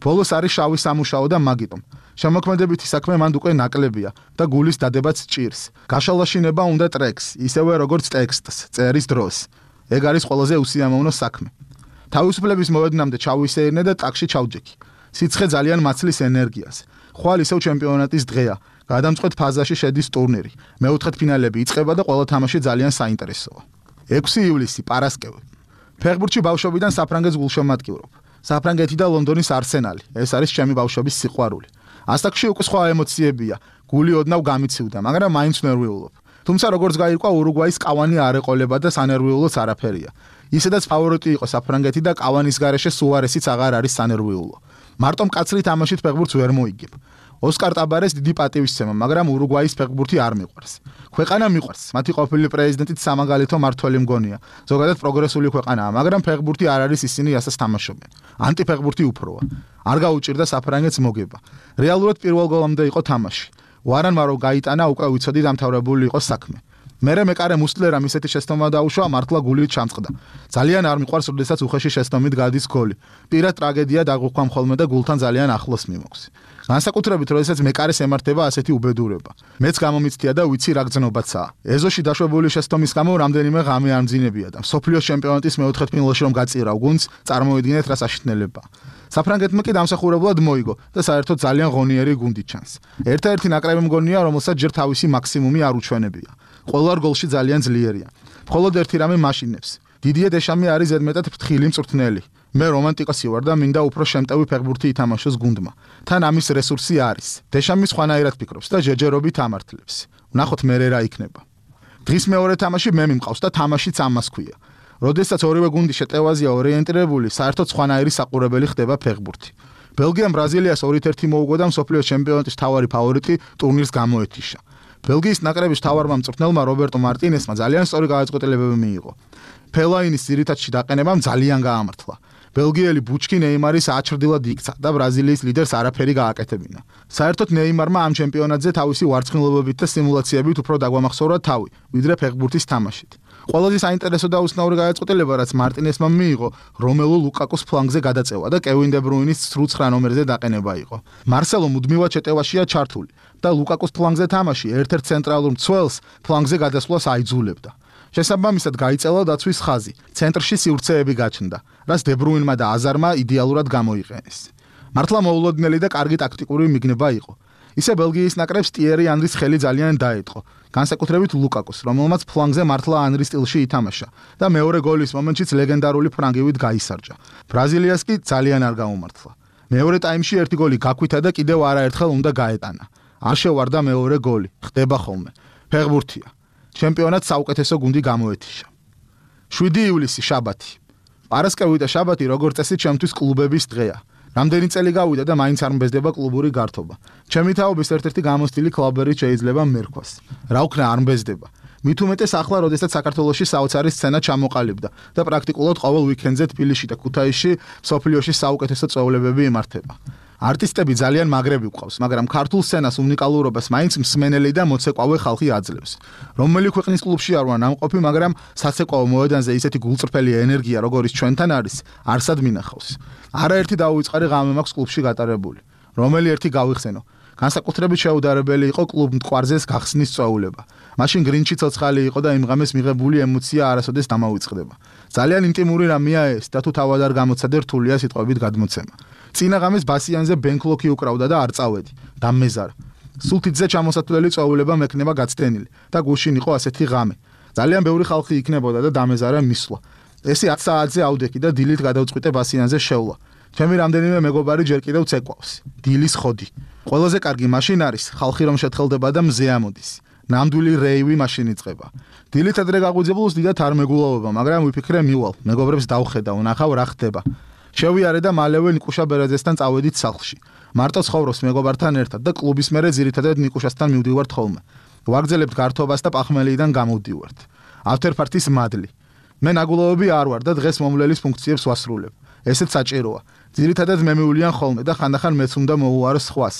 [SPEAKER 2] ბოლოს არის შავი სამუშაო და მაგიტომ. შემოქმედებითი საქმე მანდ უკვე ნაკლებია და გულის დადებაც ჭირს. გაშალაშინება უნდა ტრეკს, ისევე როგორც ტექსტს, წერის დროს. ეგ არის ყველაზე უსიამოვნო საქმე. თავისუფლების მოედნამდე ჩავისეირნე და ტაკში ჩავჯექი. სიცხე ძალიან მაცლის ენერგიას. ხვალ ისევ ჩემპიონატის დღეა. გადამწყვეტ ფაზაში შედის ტურნირი. მეოთხედფინალები იწყება და ყველა თამაში ძალიან საინტერესოა. 6 ივლისი პარასკევი. ფეხბურთში ბავშვობიდან საფრანგეთს გულშემატკივრობ. საფრანგეთი და ლონდონის არსენალი. ეს არის ჩემი ბავშვობის სიყვარული. ასაკში უკვე სხვა ემოციებია. გული ოდნავ გამიცივდა, მაგრამ მაინც ნერვიულობ. თუმცა როგორც გაირკვა ურუგვაის კავანი არ ეყოლება და სანერვიულოც არაფერია. ისედაც ფავორიტი იყო საფრანგეთი და კავანის გარეშე სუარესიც აღარ არის სანერვიულო. მარტო მკაცრი თამაშით ფეხბურთს ვერ მოიგებ. ოსკარ ტაბარეს დიდი პატივისცემა, მაგრამ ურუგვაის ფეხბურთი არ მიყვარს. ქვეყანა მიყვარს, მათი ყოფილი პრეზიდენტით სამაგალითო მართველი მგონია. ზოგადად პროგრესული ქვეყანაა, მაგრამ ფეხბურთი არ არის ისინი რასაც თამაშობენ. ანტიფეხბურთი უფროა. არ გაუჭირდა საფრანგეთს მოგება. რეალურად პირველ გოლამდე იყო თამაში. ვარანმა რო გაიტანა, უკვე ვიცოდი დამთავრებული იყო საქმე. მერე მეკარე მუსლერამ ისეთი შეცდომა დაუშვა, მართლა გულით ჩამწყდა. ძალიან არ მიყვარს, როდესაც უხეში შეცდომით გადის გოლი. პირად ტრაგედია დაგუქვამ ხოლმე და გულთან ძალიან ახლოს მიმოხს. განსაკუთრებით, როდესაც მეკარეს ემართება ასეთი უბედურება. მეც გამომიცდია და ვიცი რა გზნობაცაა. ეზოში დაშვებული შეცდომის გამო რამდენიმე ღამე ამძინებია და მსოფლიოს ჩემპიონატის მეოთხედფინალში რომ გაწირავ გუნდს, წარმოიდგინეთ რა საშინელება. საფრანგეთმა კი დამსახურებლად მოიგო და საერთოდ ძალიან ღონიერი გუნდი ჩანს. ერთ-ერთი ნაკრები მგონია, რომელსაც ჯერ თავისი მაქსიმუმი არ უჩვენებია. ყველა გოლში ძალიან ძლიერია. მხოლოდ ერთი რამე მაშინებს. დიდიე დეშამი არის ზედმეტად ფრთხილი მწვრთნელი. მე რომანტიკოსი ვარ და მინდა უფრო შემტევი ფეხბურთი ითამაშოს გუნდმა. თან ამის რესურსი არის. დეშამი სხვანაირად ფიქრობს და ჯეჯერობით ამართლებს. ვნახოთ მერე რა იქნება. დღის მეორე თამაში მე მიმყავს და თამაშიც ამას ქვია. როდესაც ორივე გუნდი შეტევაზია ორიენტირებული, საერთოდ სხვანაირი საყურებელი ხდება ფეხბურთი. ბელგიამ ბრაზილიას 2-1 მოუგო და მსოფლიოს ჩემპიონატის მთავარი ფავორიტი ტურნირს გამოეთიშა. ბელგიის ნაკრების მთავარმა მწვრთნელმა რობერტო მარტინესმა ძალიან სწორი გადაწყვეტილებები მიიღო. ფელაინის ძირითადში დაყენებამ ძალიან გაამართლა. ბელგიელი ბუჩკი ნეიმარის აჩრდილად იქცა და ბრაზილიის ლიდერს არაფერი გააკეთებინა. საერთოდ ნეიმარმა ამ ჩემპიონატზე თავისი ვარცხნილობებით და სიმულაციებით უფრო დაგვამახსოვრა თავი, ვიდრე ფეხბურთის თამაშით. ყველაზე საინტერესო და უცნაური გადაწყვეტილება, რაც მარტინესმა მიიღო, რომელუ ლუკაკუს ფლანგზე გადაწევა და კევინ დე ბრუინის 9 ნომერზე დაყენება იყო. მარსელო მუდმივად შეტევაშია ჩართული და ლუკაკუს ფლანგზე თამაში ერთ-ერთ ცენტრალურ მცველს ფლანგზე გადასვლას აიძულებდა. შესაბამისად გაიწელა დაცვის ხაზი, ცენტრში სივრცეები გაჩნდა, რაც დე ბრუინმა და აზარმა იდეალურად გამოიყენეს. მართლა მოულოდნელი და კარგი ტაქტიკური მიგნება იყო. ისე ბელგიის ნაკრებს ტიერი ანრის ხელი ძალიან დაეწყო. განსაკუთრებით ლუკაკუს, რომელმაც ფლანგზე მართლა ანრის სტილში ითამაშა და მეორე გოლის მომენტშიც ლეგენდარული ფრანგივით გაისარჯა. ბრაზილიას კი ძალიან არ გაუმართლა. მეორე ტაიმში ერთი გოლი გაქვითა და კიდევ არაერთხელ უნდა გაეტანა. არ შევარდა მეორე გოლი, ხდება ხოლმე. ფეხბურთია. ჩემპიონატს საუკეთესო გუნდი გამოეთიშა. 7 ივლისი შაბათი. პარასკევი და შაბათი როგორც წესი ჩემთვის კლუბების დღეა. რამდენი წელი გავიდა და მაინც არ მბეზდება კლუბური გართობა. ჩემი თაობის ერთ-ერთი გამოსტილი კლუბერი შეიძლება მერქვას. რა უქნა არ მბეზდება. მით უმეტეს ახლა, როდესაც საქართველოში საოცარი სცენა ჩამოყალიბდა და პრაქტიკულად ყოველ უიკენდზე თბილისში და ქუთაისში მსოფლიოში საუკეთესო წვეულებები იმართება. არტისტები ძალიან მაგრები გვყავს, მაგრამ ქართულ სცენას უნიკალურობას მაინც მსმენელი და მოცეკვავე ხალხი აძლევს. რომელი ქვეყნის კლუბში არ ვარ ნამყოფი, მაგრამ საცეკვაო მოედანზე ისეთი გულწრფელი ენერგია, როგორიც ჩვენთან არის, არსად მინახავს. არაერთი დაუვიწყარი ღამე მაქვს კლუბში გატარებული. რომელი ერთი გავიხსენო. განსაკუთრებით შეუდარებელი იყო კლუბ მტკვარზეს გახსნის წვეულება. მაშინ გრინჩი ცოცხალი იყო და იმ ღამეს მიღებული ემოცია არასოდეს დამავიწყდება. ძალიან ინტიმური რამეა ეს და თუ თავად არ გამოცადე რთულია სიტყვებით გადმოცემა. წინა ღამეს ბასიანზე ბენკლოკი უკრავდა და არ წავედი. დამეზარა. სულთიძე ჩამოსათვლელი წვეულება მექნება გაცდენილი და გუშინ იყო ასეთი ღამე. ძალიან ბევრი ხალხი იქნებოდა და დამეზარა მისვლა. ესე 10 საათზე ავდექი და დილით გადავწყვიტე ბასიანზე შევლა. ჩემი რამდენიმე მეგობარი ჯერ კიდევ ცეკვავს. დილის ხოდი. ყველაზე კარგი მაშინ არის ხალხი რომ შეთხელდება და მზე ამოდის. ნამდვილი რეივი მაშინ იწყება. დილით ადრე გაღვიძებულს დიდათ არ მეგულავება, მაგრამ ვიფიქრე მივალ, მეგობრებს დავხედა, ვნახავ რა ხდება. შევიარე და მალევე ნიკუშა ბერაძესთან წავედით სახლში. მარტო ცხოვრობს მეგობართან ერთად და კლუბის მერე ძირითადად ნიკუშასთან მივდივართ ხოლმე. ვაგრძელებთ გართობას და პახმელიდან გამოვდივართ. ავთერფართის მადლი. მე ნაგულოვები არ ვარ და დღეს მომვლელის ფუნქციებს ვასრულებ. ესეც საჭიროა. ძირითადად მე მიულიან ხოლმე და ხანდახან მეც უნდა მოუარო სხვას.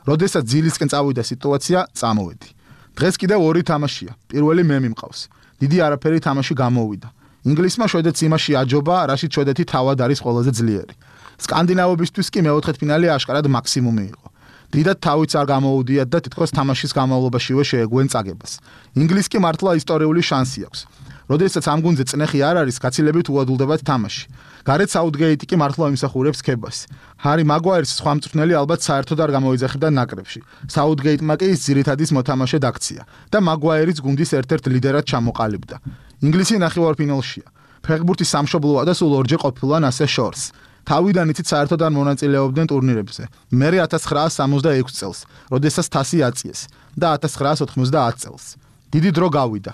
[SPEAKER 2] როდესაც ძილისკენ წავიდა სიტუაცია, წამოვედი. დღეს კიდევ ორი თამაშია. პირველი მე მიმყავს. დიდი არაფერი თამაში გამოვიდა. ინგლისმა შვედეთს იმაში აჯობა, რაშიც შვედეთი თავად არის ყველაზე ძლიერი. სკანდინავებისთვის კი მეოთხედფინალი აშკარად მაქსიმუმი იყო. დიდად თავიც არ გამოუდიათ და თითქოს თამაშის განმავლობაშივე შეეგუენ წაგებას. ინგლისს კი მართლა ისტორიული შანსი აქვს. როდესაც ამ გუნდზე წნეხი არ არის, გაცილებით უადვილდებათ თამაში. გარეთ საუთგეიტი კი მართლა იმსახურებს ქებას. ჰარი მაგვაირის სხვა მწვრთნელი ალბათ საერთოდ არ გამოიძახებდა ნაკრებში. საუთგეიტმა კი ის ძირითადის მოთამაშედ აქცია და მაგვაირის გუნდის ერთ-ერთ ლიდერად ჩამოყალიბდა. ინგლისი ნახევარფინალშია. ფეხბურთის სამშობლოა და სულ ორჯერ ყოფილან ასე შორს. თავიდან იცით საერთოდ არ მონაწილეობდნენ ტურნირებზე. მერე 1966 წელს, როდესაც თასი აწიეს და 1990 წელს. დიდი დრო გავიდა.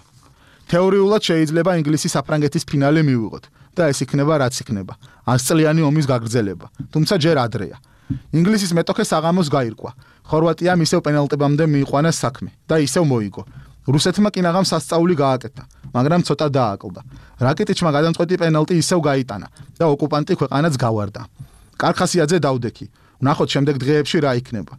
[SPEAKER 2] თეორიულად შეიძლება ინგლისის საფრანგეთის ფინალი მივიღოთ და ეს იქნება რაც იქნება. 100 წლიანი ომის გაგრძელება, თუმცა ჯერ ადრეა. ინგლისის მეტოქე საღამოს გაირკვა. ხორვატიამ ისევ პენალტებამდე მიიყვანა საქმე და ისევ მოიგო. რუსეთმა კინაღამ სასწაული გააკეთა, მაგრამ ცოტა დააკლდა. რაკეტიჩმა გადამწყვეტი პენალტი ისევ გაიტანა და ოკუპანტი ქვეყანაც გავარდა. კარხასიაძე დავდექი. ვნახოთ შემდეგ დღეებში რა იქნება.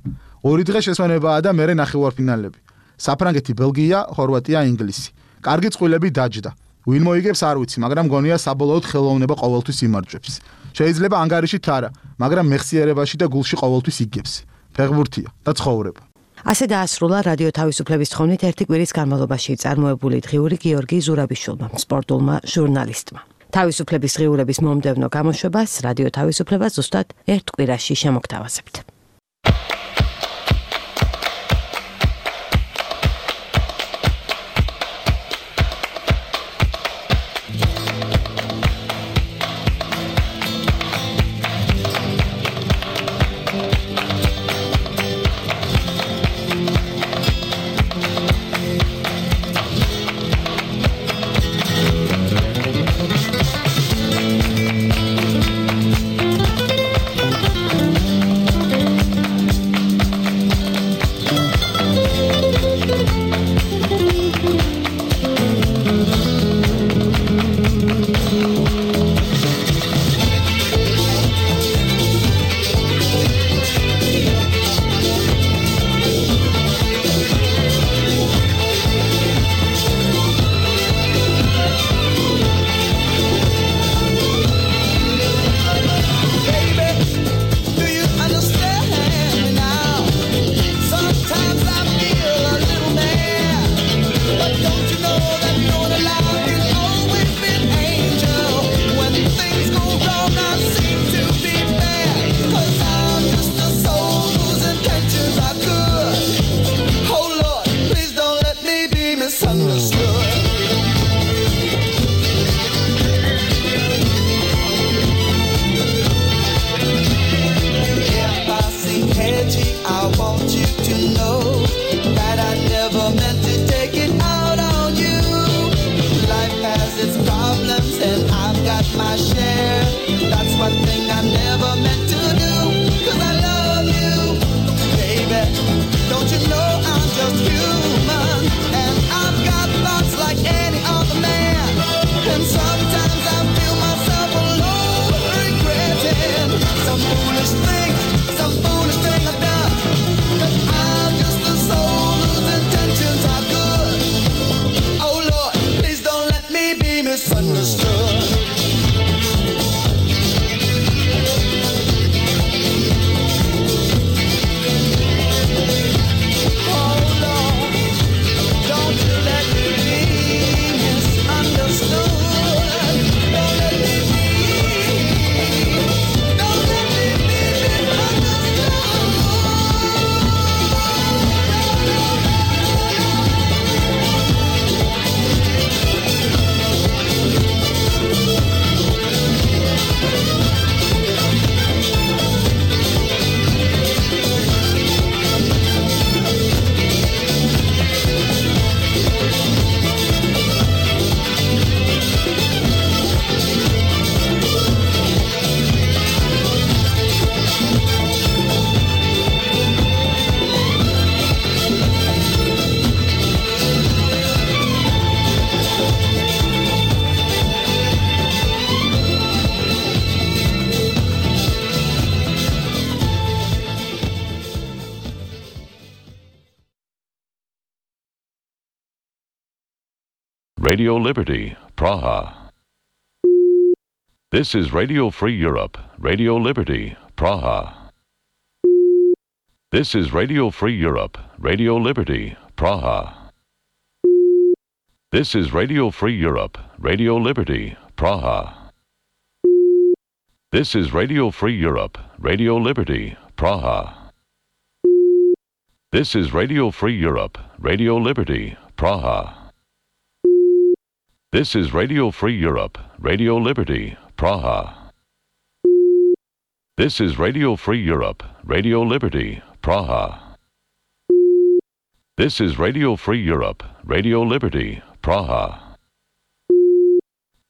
[SPEAKER 2] ორი დღე შესვენებაა და მერე ნახევარფინალები. საფრანგეთი, ბელგია, ხორვატია, ინგლისი. კარგი წყვილები დაჯდა. ვინ მოიგებს არ ვიცი, მაგრამ გონია საბოლოოდ ხელოვნება ყოველთვის იმარჯვებს. შეიძლება ანგარიშით არა, მაგრამ მეხსიერებაში და გულში ყოველთვის იგებს. ფეხბურთია და ცხოვრება.
[SPEAKER 1] ასე დაასრულა რადიო თავისუფლების თხოვნით ერთი კვირის განმავლობაში წარმოებული დღიური გიორგი ზურაბიშვილმა, სპორტულმა ჟურნალისტმა. თავისუფლების დღიურების მომდევნო გამოშვებას რადიო თავისუფლება ზუსტად ერთ კვირაში შემოგთავაზებთ.
[SPEAKER 3] Radio Liberty, Praha. This is Radio Free Europe, Radio Liberty, Praha. This is Radio Free Europe, Radio Liberty, Praha. This is Radio Free Europe, Radio Liberty, Praha. This is Radio Free Europe, Radio Liberty, Praha. This is Radio Free Europe, Radio Liberty, Praha. This is Radio Free Europe, Radio Liberty, Praha. This is Radio Free Europe, Radio Liberty, Praha. This is Radio Free Europe, Radio Liberty, Praha.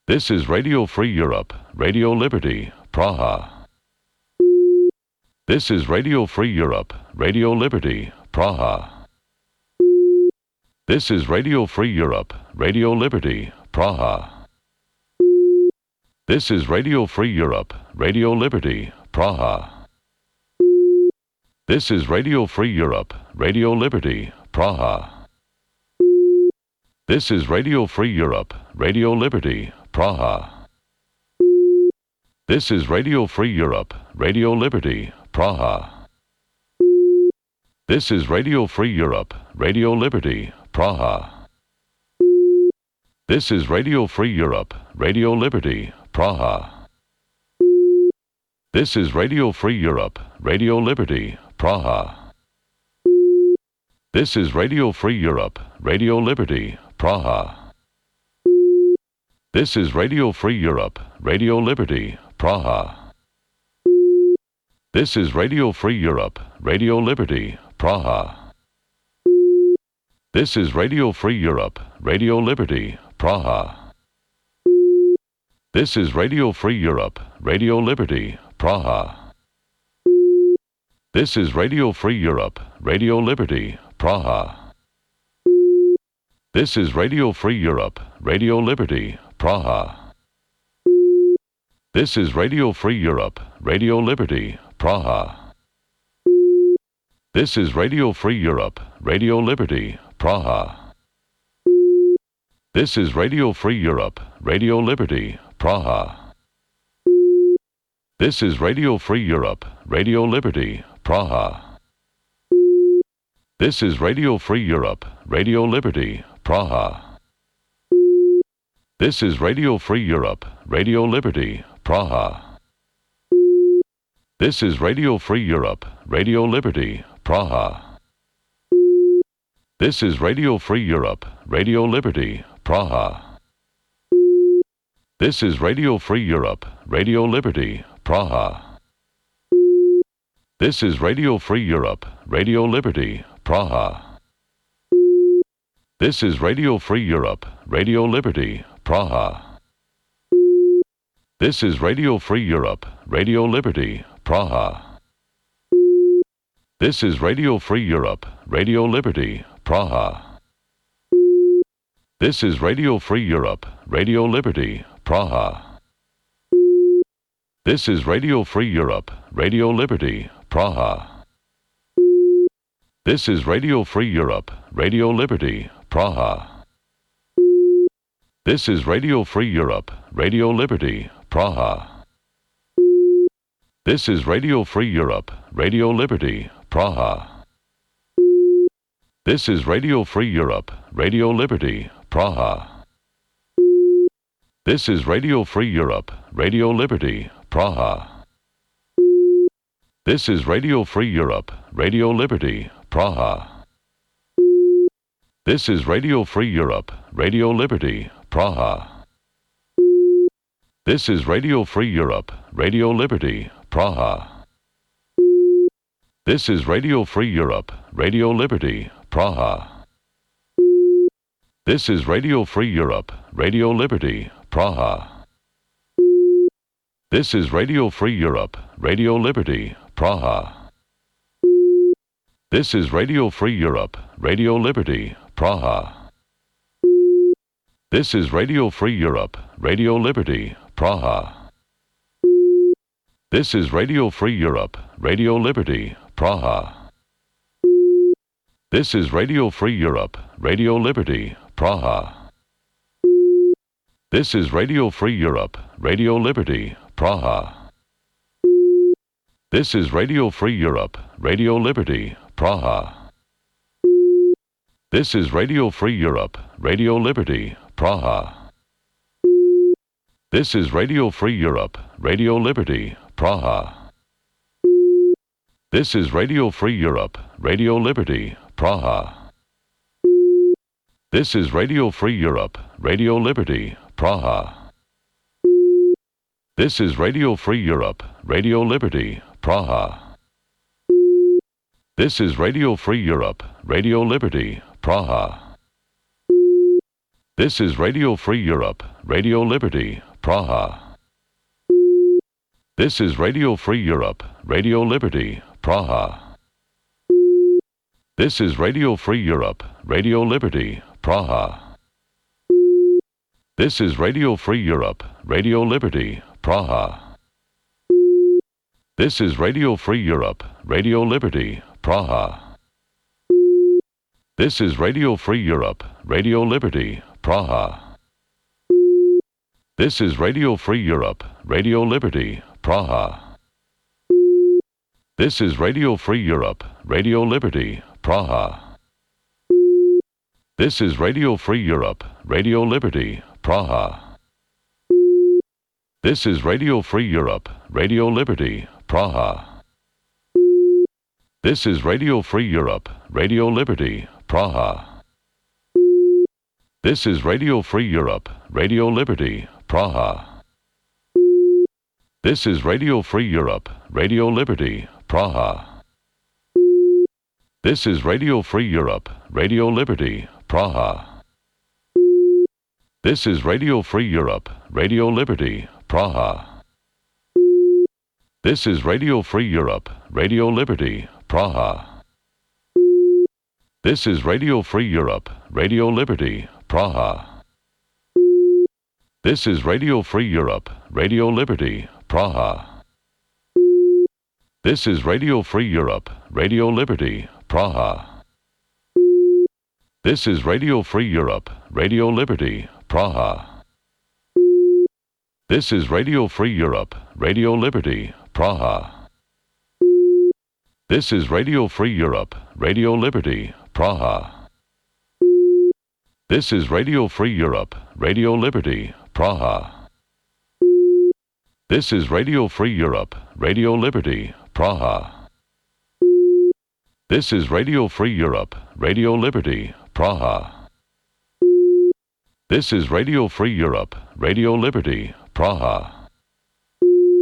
[SPEAKER 3] This is Radio Free Europe, Radio Liberty, Praha. This is Radio Free Europe, Radio Liberty, Praha. This is Radio Free Europe, Radio Liberty, Praha. This is Radio Free Europe, Radio Liberty, Praha. This is Radio Free Europe, Radio Liberty, Praha. This is Radio Free Europe, Radio Liberty, Praha. This is Radio Free Europe, Radio Liberty, Praha. This is Radio Free Europe, Radio Liberty, Praha. This is Radio Free Europe, Radio Liberty, Praha. This is Radio Free Europe, Radio Liberty, Praha. This is Radio Free Europe, Radio Liberty, Praha. This is Radio Free Europe, Radio Liberty, Praha. This is Radio Free Europe, Radio Liberty, Praha. This is Radio Free Europe, Radio Liberty, Praha. This is Radio Free Europe, Radio Liberty, Praha. This is Radio Free Europe, Radio Liberty, Praha. This is Radio Free Europe, Radio Liberty, Praha. This is Radio Free Europe, Radio Liberty, Praha. This is Radio Free Europe, Radio Liberty, Praha. This is Radio Free Europe, Radio Liberty, Praha. This is Radio Free Europe, Radio Liberty, Praha. This is Radio Free Europe, Radio Liberty, Praha. This is Radio Free Europe, Radio Liberty, Praha. This is Radio Free Europe, Radio Liberty, Praha. This is Radio Free Europe, Radio Liberty, Praha. This is Radio Free Europe, Radio Liberty, Praha. This is Radio Free Europe, Radio Liberty, Praha. This is Radio Free Europe, Radio Liberty, Praha. This is Radio Free Europe, Radio Liberty, Praha. This is Radio Free Europe, Radio Liberty, Praha. This is Radio Free Europe, Radio Liberty, Praha. This is Radio Free Europe, Radio Liberty, Praha. This is Radio Free Europe, Radio Liberty, Praha. This is Radio Free Europe, Radio Liberty, Praha. This is Radio Free Europe, Radio Liberty, Praha. This is Radio Free Europe, Radio Liberty, Praha. This is Radio Free Europe, Radio Liberty, Praha. This is Radio Free Europe, Radio Liberty, Praha. This is Radio Free Europe, Radio Liberty, Praha. This is Radio Free Europe, Radio Liberty, Praha. This is Radio Free Europe, Radio Liberty, Praha. This is Radio Free Europe, Radio Liberty, Praha. This is Radio Free Europe, Radio Liberty, Praha. This is Radio Free Europe, Radio Liberty, Praha. This is Radio Free Europe, Radio Liberty, Praha. This is Radio Free Europe, Radio Liberty, Praha. This is Radio Free Europe, Radio Liberty, Praha. This is Radio Free Europe, Radio Liberty, Praha. This is Radio Free Europe, Radio Liberty, Praha. This is Radio Free Europe, Radio Liberty, Praha. This is Radio Free Europe, Radio Liberty, Praha. This is Radio Free Europe, Radio Liberty, Praha. This is Radio Free Europe, Radio Liberty, Praha. This is Radio Free Europe, Radio Liberty, Praha. This is Radio Free Europe, Radio Liberty, Praha. This is Radio Free Europe, Radio Liberty, Praha. This is Radio Free Europe, Radio Liberty, Praha. This is Radio Free Europe, Radio Liberty, Praha. This is Radio Free Europe, Radio Liberty, Praha. This is Radio Free Europe, Radio Liberty, Praha. This is Radio Free Europe, Radio Liberty, Praha. This is Radio Free Europe, Radio Liberty, Praha. This is Radio Free Europe, Radio Liberty, Praha. This is Radio Free Europe, Radio Liberty, Praha. This is Radio Free Europe, Radio Liberty, Praha. This is Radio Free Europe, Radio Liberty, Praha. This is Radio Free Europe, Radio Liberty, Praha. This is Radio Free Europe, Radio Liberty, Praha. This is Radio Free Europe, Radio Liberty, Praha. This is Radio Free Europe, Radio Liberty, Praha. This is Radio Free Europe, Radio Liberty, Praha. This is Radio Free Europe, Radio Liberty, Praha. This is Radio Free Europe, Radio Liberty, Praha. This is Radio Free Europe, Radio Liberty, Praha. This is Radio Free Europe, Radio Liberty, Praha. This is Radio Free Europe, Radio Liberty, Praha. This is Radio Free Europe, Radio Liberty, Praha. This is Radio Free Europe, Radio Liberty, Praha. This is Radio Free Europe, Radio Liberty, Praha. This is Radio Free Europe, Radio Liberty, Praha. This is Radio Free Europe, Radio Liberty, Praha.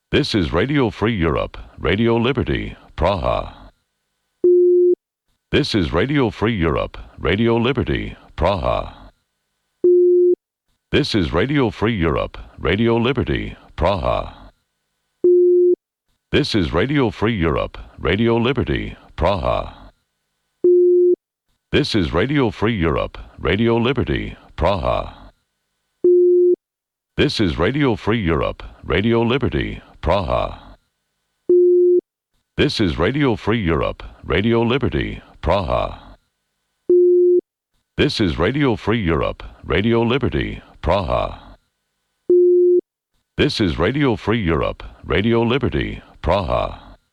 [SPEAKER 3] This is Radio Free Europe, Radio Liberty, Praha. This is Radio Free Europe, Radio Liberty, Praha. This is Radio Free Europe, Radio Liberty, Praha. This is Radio Free Europe, Radio Liberty, Praha. This is Radio Free Europe, Radio Liberty, Praha. This is Radio Free Europe, Radio Liberty, Praha. This is Radio Free Europe, Radio Liberty, Praha. This is Radio Free Europe, Radio Liberty, Praha. This is Radio Free Europe, Radio Liberty, Praha.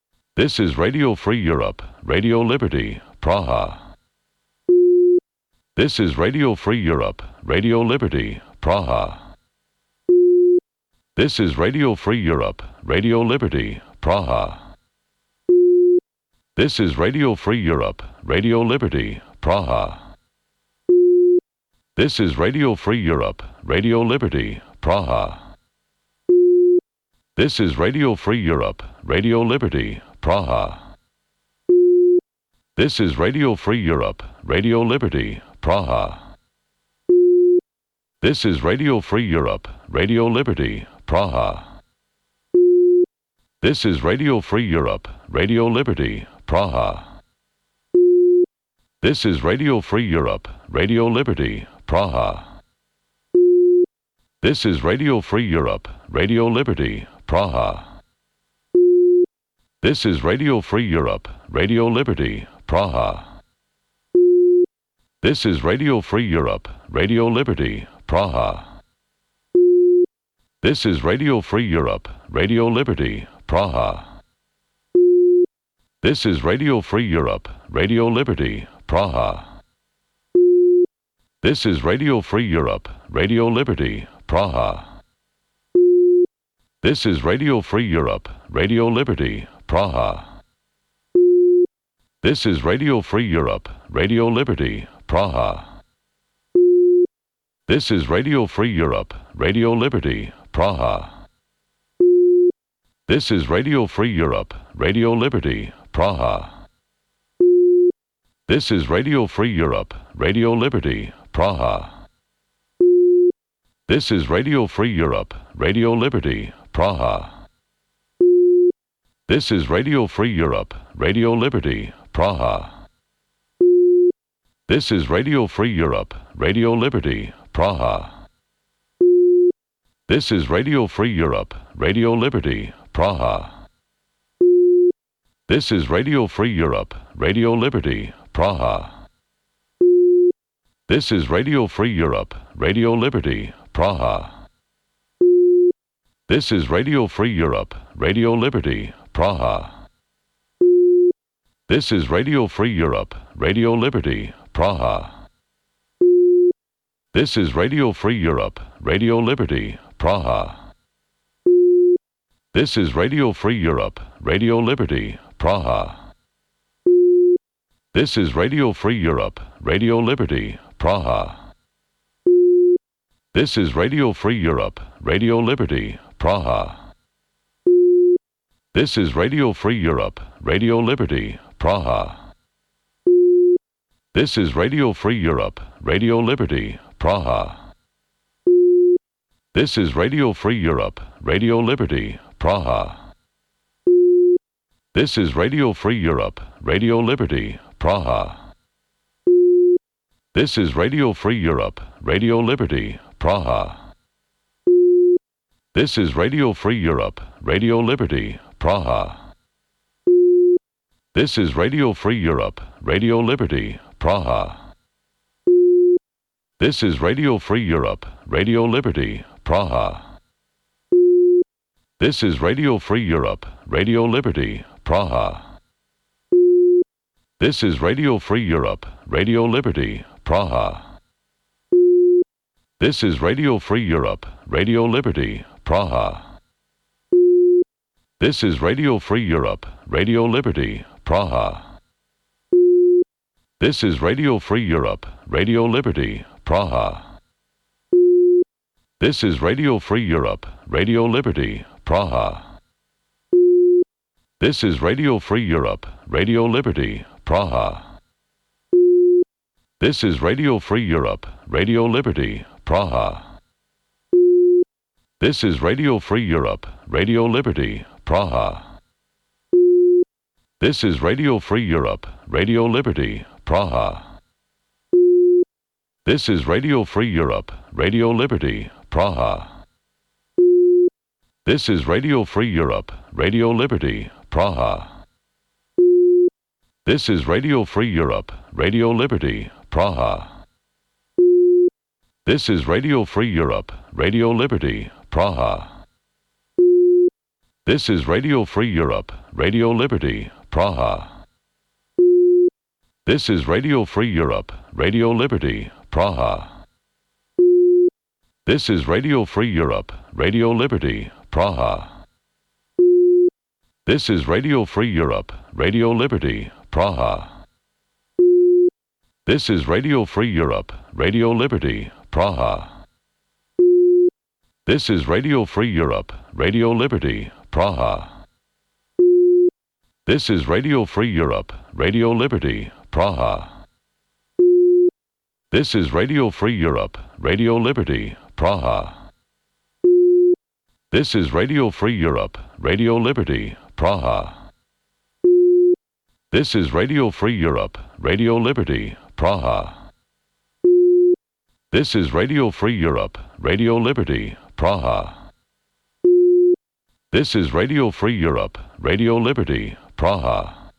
[SPEAKER 3] This is Radio Free Europe, Radio Liberty, Praha. This is Radio Free Europe, Radio Liberty, Praha. This is Radio Free Europe, Radio Liberty, Praha. This is Radio Free Europe, Radio Liberty, Praha. This is Radio Free Europe, Radio Liberty, Praha. This is Radio Free Europe, Radio Liberty, Praha. This is Radio Free Europe, Radio Liberty, Praha. This is Radio Free Europe, Radio Liberty, Praha. This is Radio Free Europe, Radio Liberty, Praha. This is Radio Free Europe, Radio Liberty, Praha. This is Radio Free Europe, Radio Liberty, Praha. This is Radio Free Europe, Radio Liberty, Praha. This is Radio Free Europe, Radio Liberty, Praha. This is Radio Free Europe, Radio Liberty, Praha. This is Radio Free Europe, Radio Liberty, Praha. This is Radio Free Europe, Radio Liberty, Praha. This is Radio Free Europe, Radio Liberty, Praha. This is Radio Free Europe, Radio Liberty, Praha. This is Radio Free Europe, Radio Liberty, Praha. This is Radio Free Europe, Radio Liberty, Praha. This is Radio Free Europe, Radio Liberty, Praha. This is Radio Free Europe, Radio Liberty, Praha. This is Radio Free Europe, Radio Liberty, Praha. This is Radio Free Europe, Radio Liberty, Praha. This is Radio Free Europe, Radio Liberty, Praha. This is Radio Free Europe, Radio Liberty, Praha. This is Radio Free Europe, Radio Liberty, Praha. This is Radio Free Europe, Radio Liberty, Praha. This is Radio Free Europe, Radio Liberty, Praha. This is Radio Free Europe, Radio Liberty, Praha. This is Radio Free Europe, Radio Liberty, Praha. This is Radio Free Europe, Radio Liberty, Praha. This is Radio Free Europe, Radio Liberty, Praha. This is Radio Free Europe, Radio Liberty, Praha. This is Radio Free Europe, Radio Liberty, Praha. This is Radio Free Europe, Radio Liberty, Praha. This is Radio Free Europe, Radio Liberty, Praha. This is Radio Free Europe, Radio Liberty, Praha. This is Radio Free Europe, Radio Liberty, Praha. This is Radio Free Europe, Radio Liberty, Praha. This is Radio Free Europe, Radio Liberty, Praha. This is Radio Free Europe, Radio Liberty, Praha. This is Radio Free Europe, Radio Liberty, Praha. This is Radio Free Europe, Radio Liberty, Praha. This is Radio Free Europe, Radio Liberty, Praha. This is Radio Free Europe, Radio Liberty, Praha. This is Radio Free Europe, Radio Liberty, Praha. This is Radio Free Europe, Radio Liberty, Praha. This is Radio Free Europe, Radio Liberty, Praha. This is Radio Free Europe, Radio Liberty, Praha. This is Radio Free Europe, Radio Liberty, Praha. This is Radio Free Europe, Radio Liberty, Praha. This is Radio Free Europe, Radio Liberty, Praha. This is Radio Free Europe, Radio Liberty, Praha. This is Radio Free Europe, Radio Liberty, Praha. This is Radio Free Europe, Radio Liberty, Praha. This is Radio Free Europe, Radio Liberty, Praha. This is Radio Free Europe, Radio Liberty, Praha. This is Radio Free Europe, Radio Liberty, Praha. This is Radio Free Europe, Radio Liberty, Praha. This is Radio Free Europe, Radio Liberty, Praha. This is Radio Free Europe, Radio Liberty, Praha. This is Radio Free Europe, Radio Liberty, Praha. This is Radio Free Europe, Radio Liberty, Praha. This is Radio Free Europe, Radio Liberty, Praha. This is Radio Free Europe, Radio Liberty, Praha. This is Radio Free Europe, Radio Liberty, Praha.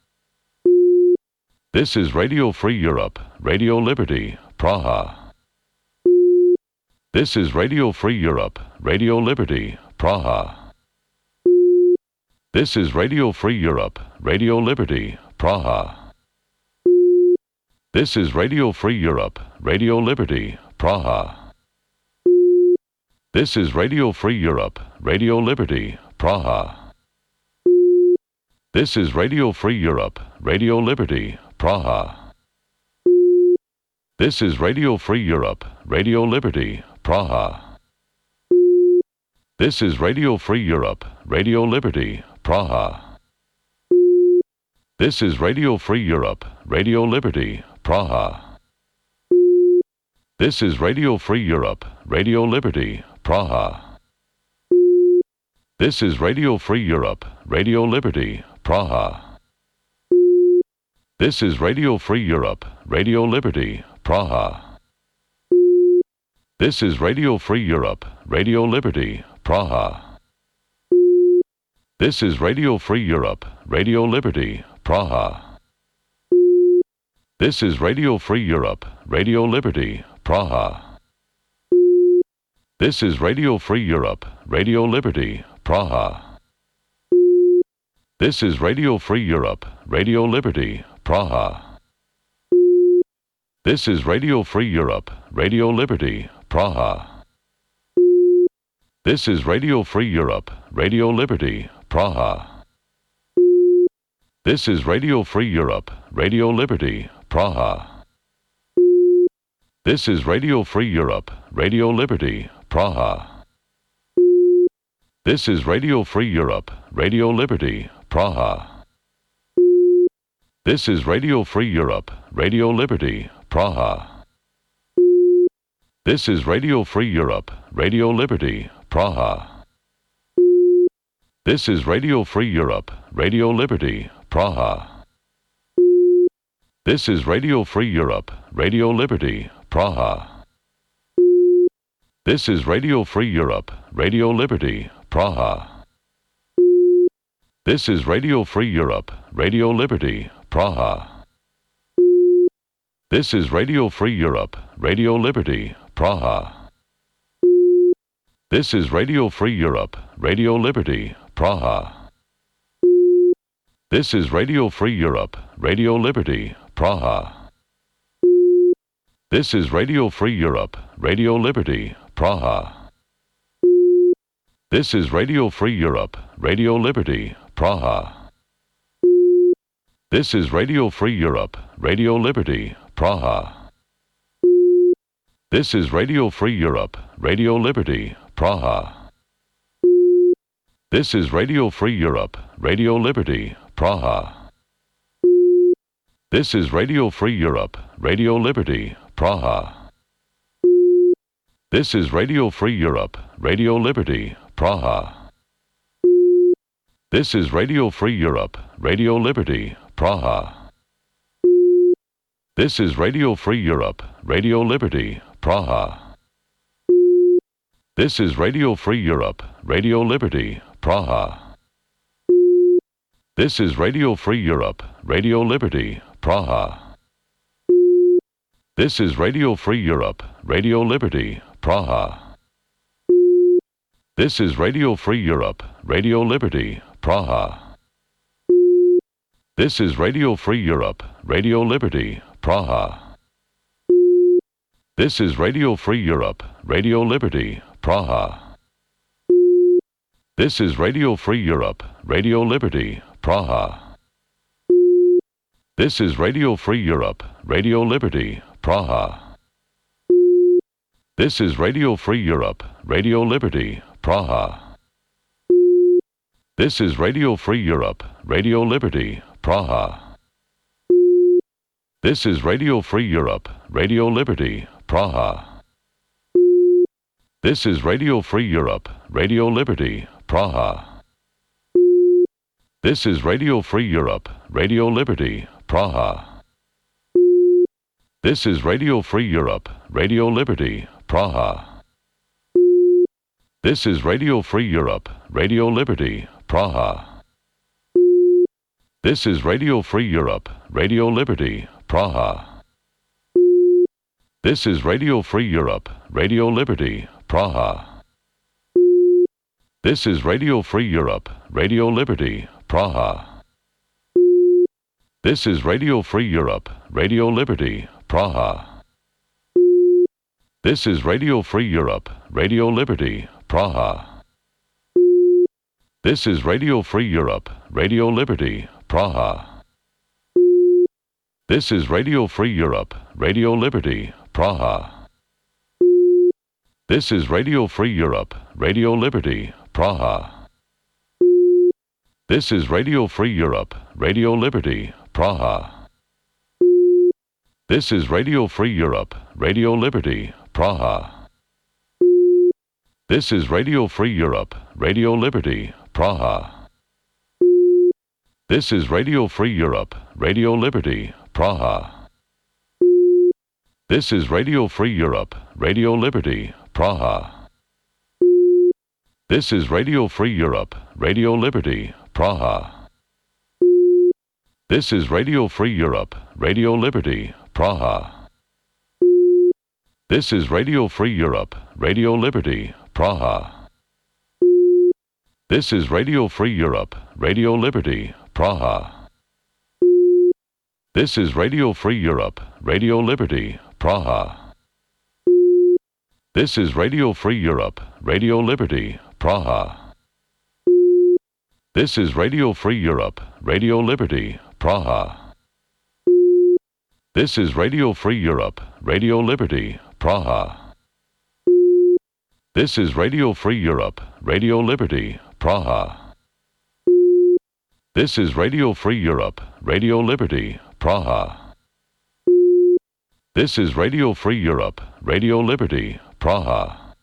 [SPEAKER 3] This is Radio Free Europe, Radio Liberty, Praha. This is Radio Free Europe, Radio Liberty, Praha. This is Radio Free Europe, Radio Liberty, Praha. This is Radio Free Europe, Radio Liberty, Praha. This is Radio Free Europe, Radio Liberty, Praha. This is Radio Free Europe, Radio Liberty, Praha. This is Radio Free Europe, Radio Liberty, Praha. This is Radio Free Europe, Radio Liberty, Praha. This is Radio Free Europe, Radio Liberty, Praha. This is Radio Free Europe, Radio Liberty, Praha. This is Radio Free Europe, Radio Liberty, Praha. This is Radio Free Europe, Radio Liberty, Praha. This is Radio Free Europe, Radio Liberty, Praha. This is Radio Free Europe, Radio Liberty, Praha. This is Radio Free Europe, Radio Liberty, Praha. This is Radio Free Europe, Radio Liberty, Praha. This is Radio Free Europe, Radio Liberty, Praha. This is Radio Free Europe, Radio Liberty, Praha. This is Radio Free Europe, Radio Liberty, Praha. This is Radio Free Europe, Radio Liberty, Praha. This is Radio Free Europe, Radio Liberty, Praha. This is Radio Free Europe, Radio Liberty, Praha. This is Radio Free Europe, Radio Liberty, Praha. This is Radio Free Europe, Radio Liberty, Praha. This is Radio Free Europe, Radio Liberty, Praha. This is Radio Free Europe, Radio Liberty, Praha. This is Radio Free Europe, Radio Liberty, Praha. This is Radio Free Europe, Radio Liberty, Praha. This is Radio Free Europe, Radio Liberty, Praha. This is Radio Free Europe, Radio Liberty, Praha. This is Radio Free Europe, Radio Liberty, Praha. This is Radio Free Europe, Radio Liberty, Praha. This is Radio Free Europe, Radio Liberty, Praha. This is Radio Free Europe, Radio Liberty, Praha. This is Radio Free Europe, Radio Liberty, Praha. This is Radio Free Europe, Radio Liberty, Praha. This is Radio Free Europe, Radio Liberty, Praha. This is Radio Free Europe, Radio Liberty, Praha. This is Radio Free Europe, Radio Liberty, Praha. This is Radio Free Europe, Radio Liberty, Praha. This is Radio Free Europe, Radio Liberty, Praha. This is Radio Free Europe, Radio Liberty, Praha. This is Radio Free Europe, Radio Liberty, Praha. This is Radio Free Europe, Radio Liberty, Praha. This is Radio Free Europe, Radio Liberty, Praha. This is Radio Free Europe, Radio Liberty, Praha. This is Radio Free Europe, Radio Liberty, Praha. This is Radio Free Europe, Radio Liberty, Praha. This is Radio Free Europe, Radio Liberty, Praha. This is Radio Free Europe, Radio Liberty, Praha. This is Radio Free Europe, Radio Liberty, Praha. This is Radio Free Europe, Radio Liberty, Praha. This is Radio Free Europe, Radio Liberty, Praha. This is Radio Free Europe, Radio Liberty, Praha. This is Radio Free Europe, Radio Liberty, Praha. This is Radio Free Europe, Radio Liberty, Praha. This is Radio Free Europe, Radio Liberty, Praha. This is Radio Free Europe, Radio Liberty, Praha. This is Radio Free Europe, Radio Liberty, Praha. This is Radio Free Europe, Radio Liberty, Praha. This is Radio Free Europe, Radio Liberty, Praha. This is Radio Free Europe, Radio Liberty, Praha. This is Radio Free Europe, Radio Liberty, Praha. This is Radio Free Europe, Radio Liberty, Praha. This is Radio Free Europe, Radio Liberty, Praha. This is Radio Free Europe, Radio Liberty, Praha. This is Radio Free Europe, Radio Liberty, Praha. This is Radio Free Europe, Radio Liberty, Praha. This is Radio Free Europe, Radio Liberty, Praha. This is Radio Free Europe, Radio Liberty, Praha. This is Radio Free Europe, Radio Liberty, Praha. This is Radio Free Europe, Radio Liberty, Praha. This is Radio Free Europe, Radio Liberty, Praha. This is Radio Free Europe, Radio Liberty, Praha. This is Radio Free Europe, Radio Liberty, Praha. This is Radio Free Europe, Radio Liberty, Praha. This is Radio Free Europe, Radio Liberty, Praha. This is Radio Free Europe, Radio Liberty, Praha. This is Radio Free Europe, Radio Liberty, Praha.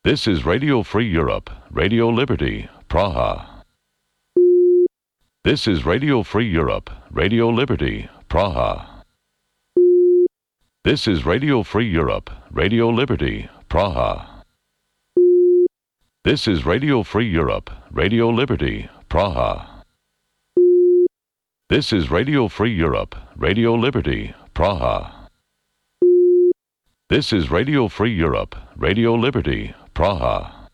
[SPEAKER 3] This is Radio Free Europe, Radio Liberty, Praha. This is Radio Free Europe, Radio Liberty, Praha. This is Radio Free Europe, Radio Liberty, Praha. This is Radio Free Europe, Radio Liberty, Praha. This is Radio Free Europe, Radio Liberty, Praha.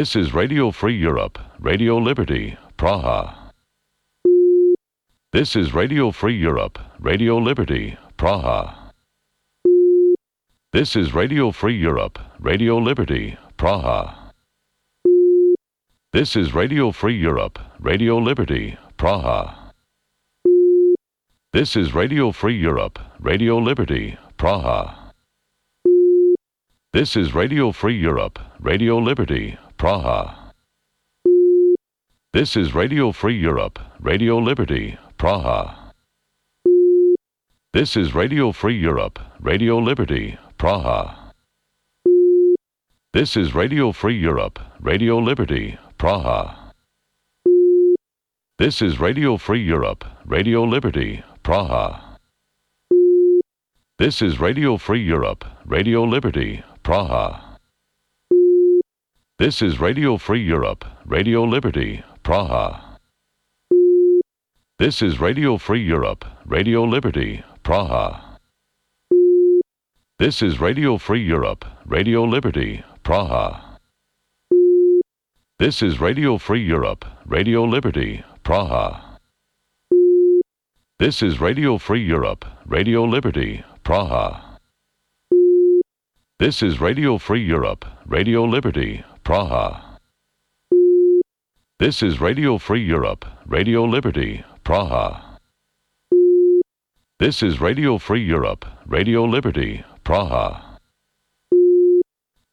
[SPEAKER 3] This is Radio Free Europe, Radio Liberty, Praha. This is Radio Free Europe, Radio Liberty, Praha. This is Radio Free Europe, Radio Liberty, Praha. This is Radio Free Europe, Radio Liberty, Praha. This is Radio Free Europe, Radio Liberty, Praha. This is Radio Free Europe, Radio Liberty, Praha. This is Radio Free Europe, Radio Liberty, Praha. This is Radio Free Europe, Radio Liberty, Praha. This is Radio Free Europe, Radio Liberty, Praha. This is Radio Free Europe, Radio Liberty, Praha. This is Radio Free Europe, Radio Liberty, Praha. This is Radio Free Europe, Radio Liberty, Praha. This is Radio Free Europe, Radio Liberty, Praha. This is Radio Free Europe, Radio Liberty, Praha. This is Radio Free Europe, Radio Liberty, Praha. This is Radio Free Europe, Radio Liberty, Praha. This is Radio Free Europe, Radio Liberty, Praha. This is Radio Free Europe, Radio Liberty, Praha. This is Radio Free Europe, Radio Liberty, Praha. This is Radio Free Europe, Radio Liberty, Praha.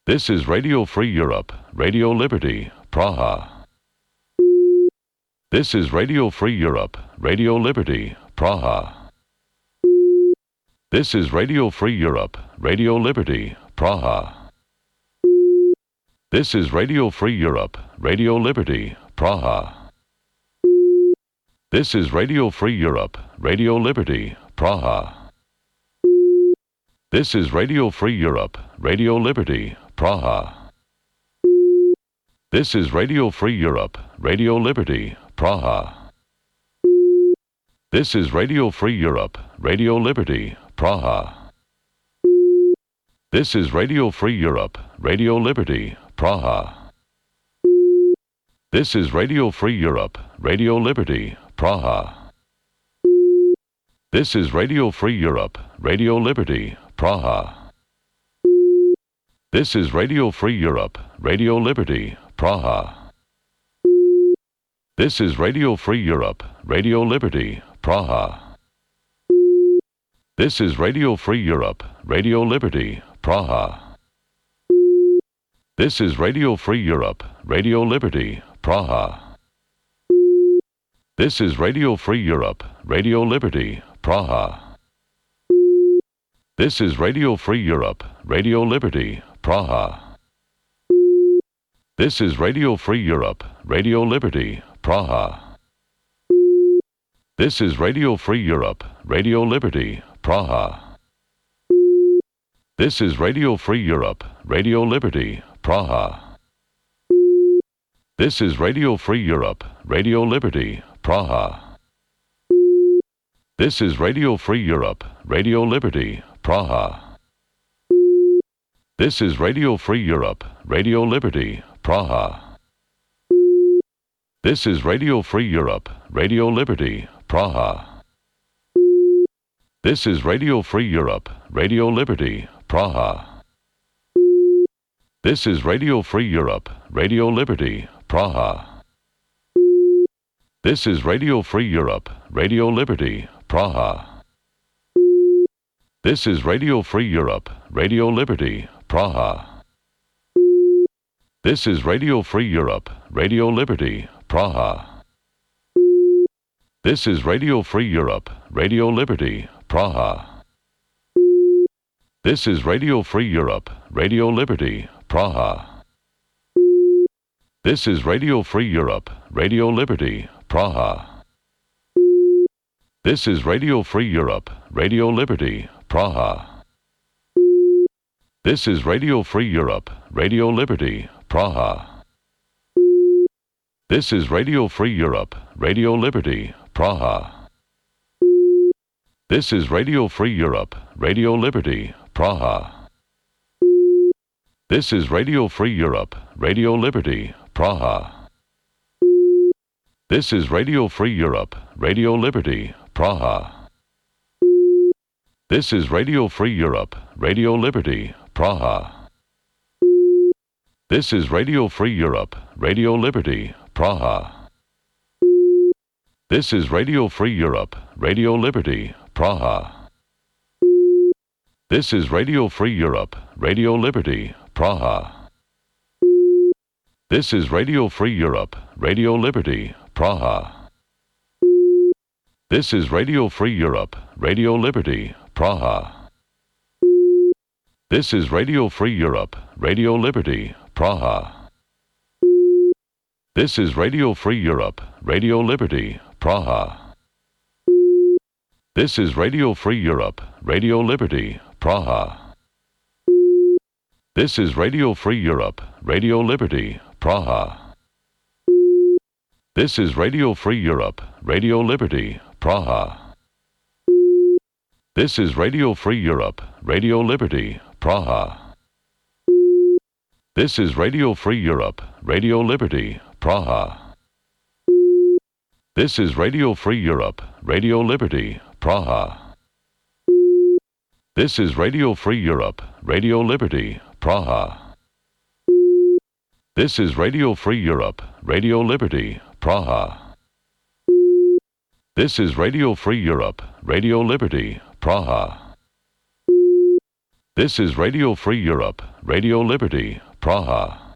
[SPEAKER 3] This is Radio Free Europe, Radio Liberty, Praha. This is Radio Free Europe, Radio Liberty, Praha. This is Radio Free Europe, Radio Liberty, Praha. This is Radio Free Europe, Radio Liberty, Praha. This is Radio Free Europe, Radio Liberty, Praha. This is Radio Free Europe, Radio Liberty, Praha. This is Radio Free Europe, Radio Liberty, Praha. This is Radio Free Europe, Radio Liberty, Praha. This is Radio Free Europe, Radio Liberty, Praha. This is Radio Free Europe, Radio Liberty, Praha. This is Radio Free Europe, Radio Liberty, Praha. This is Radio Free Europe, Radio Liberty, Praha. This is Radio Free Europe, Radio Liberty, Praha. This is Radio Free Europe, Radio Liberty, Praha. This is Radio Free Europe, Radio Liberty, Praha. This is Radio Free Europe, Radio Liberty, Praha. This is Radio Free Europe, Radio Liberty, Praha. This is Radio Free Europe, Radio Liberty, Praha. This is Radio Free Europe, Radio Liberty, Praha. This is Radio Free Europe, Radio Liberty, Praha. This is Radio Free Europe, Radio Liberty, Praha. This is Radio Free Europe, Radio Liberty, Praha. This is Radio Free Europe, Radio Liberty, Praha. This is Radio Free Europe, Radio Liberty, Praha. This is Radio Free Europe, Radio Liberty, Praha. This is Radio Free Europe, Radio Liberty, Praha. This is Radio Free Europe, Radio Liberty, Praha. This is Radio Free Europe, Radio Liberty, Praha. This is Radio Free Europe, Radio Liberty, Praha. This is Radio Free Europe, Radio Liberty, Praha. This is Radio Free Europe, Radio Liberty, Praha. This is Radio Free Europe, Radio Liberty, Praha. This is Radio Free Europe, Radio Liberty, Praha. This is Radio Free Europe, Radio Liberty, Praha. This is Radio Free Europe, Radio Liberty, Praha. This is Radio Free Europe, Radio Liberty, Praha. This is Radio Free Europe, Radio Liberty, Praha. This is Radio Free Europe, Radio Liberty, Praha. This is Radio Free Europe, Radio Liberty, Praha. This is Radio Free Europe, Radio Liberty, Praha. This is Radio Free Europe, Radio Liberty, Praha. This is Radio Free Europe, Radio Liberty, Praha. This is Radio Free Europe, Radio Liberty, Praha. This is Radio Free Europe, Radio Liberty, Praha. This is Radio Free Europe, Radio Liberty, Praha. This is Radio Free Europe, Radio Liberty, Praha. This is Radio Free Europe, Radio Liberty, Praha. This is Radio Free Europe, Radio Liberty, Praha. This is Radio Free Europe, Radio Liberty, Praha. This is Radio Free Europe, Radio Liberty, Praha. This is Radio Free Europe, Radio Liberty, Praha. This is Radio Free Europe, Radio Liberty, Praha. This is Radio Free Europe, Radio Liberty, Praha. This is Radio Free Europe, Radio Liberty, Praha. This is Radio Free Europe, Radio Liberty, Praha. This is Radio Free Europe, Radio Liberty, Praha.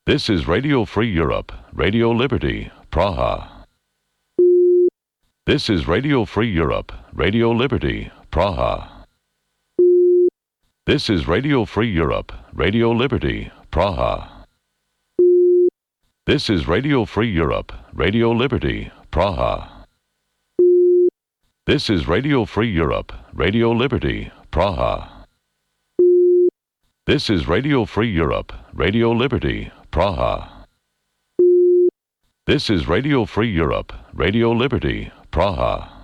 [SPEAKER 3] This is Radio Free Europe, Radio Liberty, Praha. This is Radio Free Europe, Radio Liberty, Praha. This is Radio Free Europe, Radio Liberty, Praha. This is Radio Free Europe, Radio Liberty, Praha. This is Radio Free Europe, Radio Liberty, Praha. This is Radio Free Europe, Radio Liberty, Praha. This is Radio Free Europe, Radio Liberty, Praha.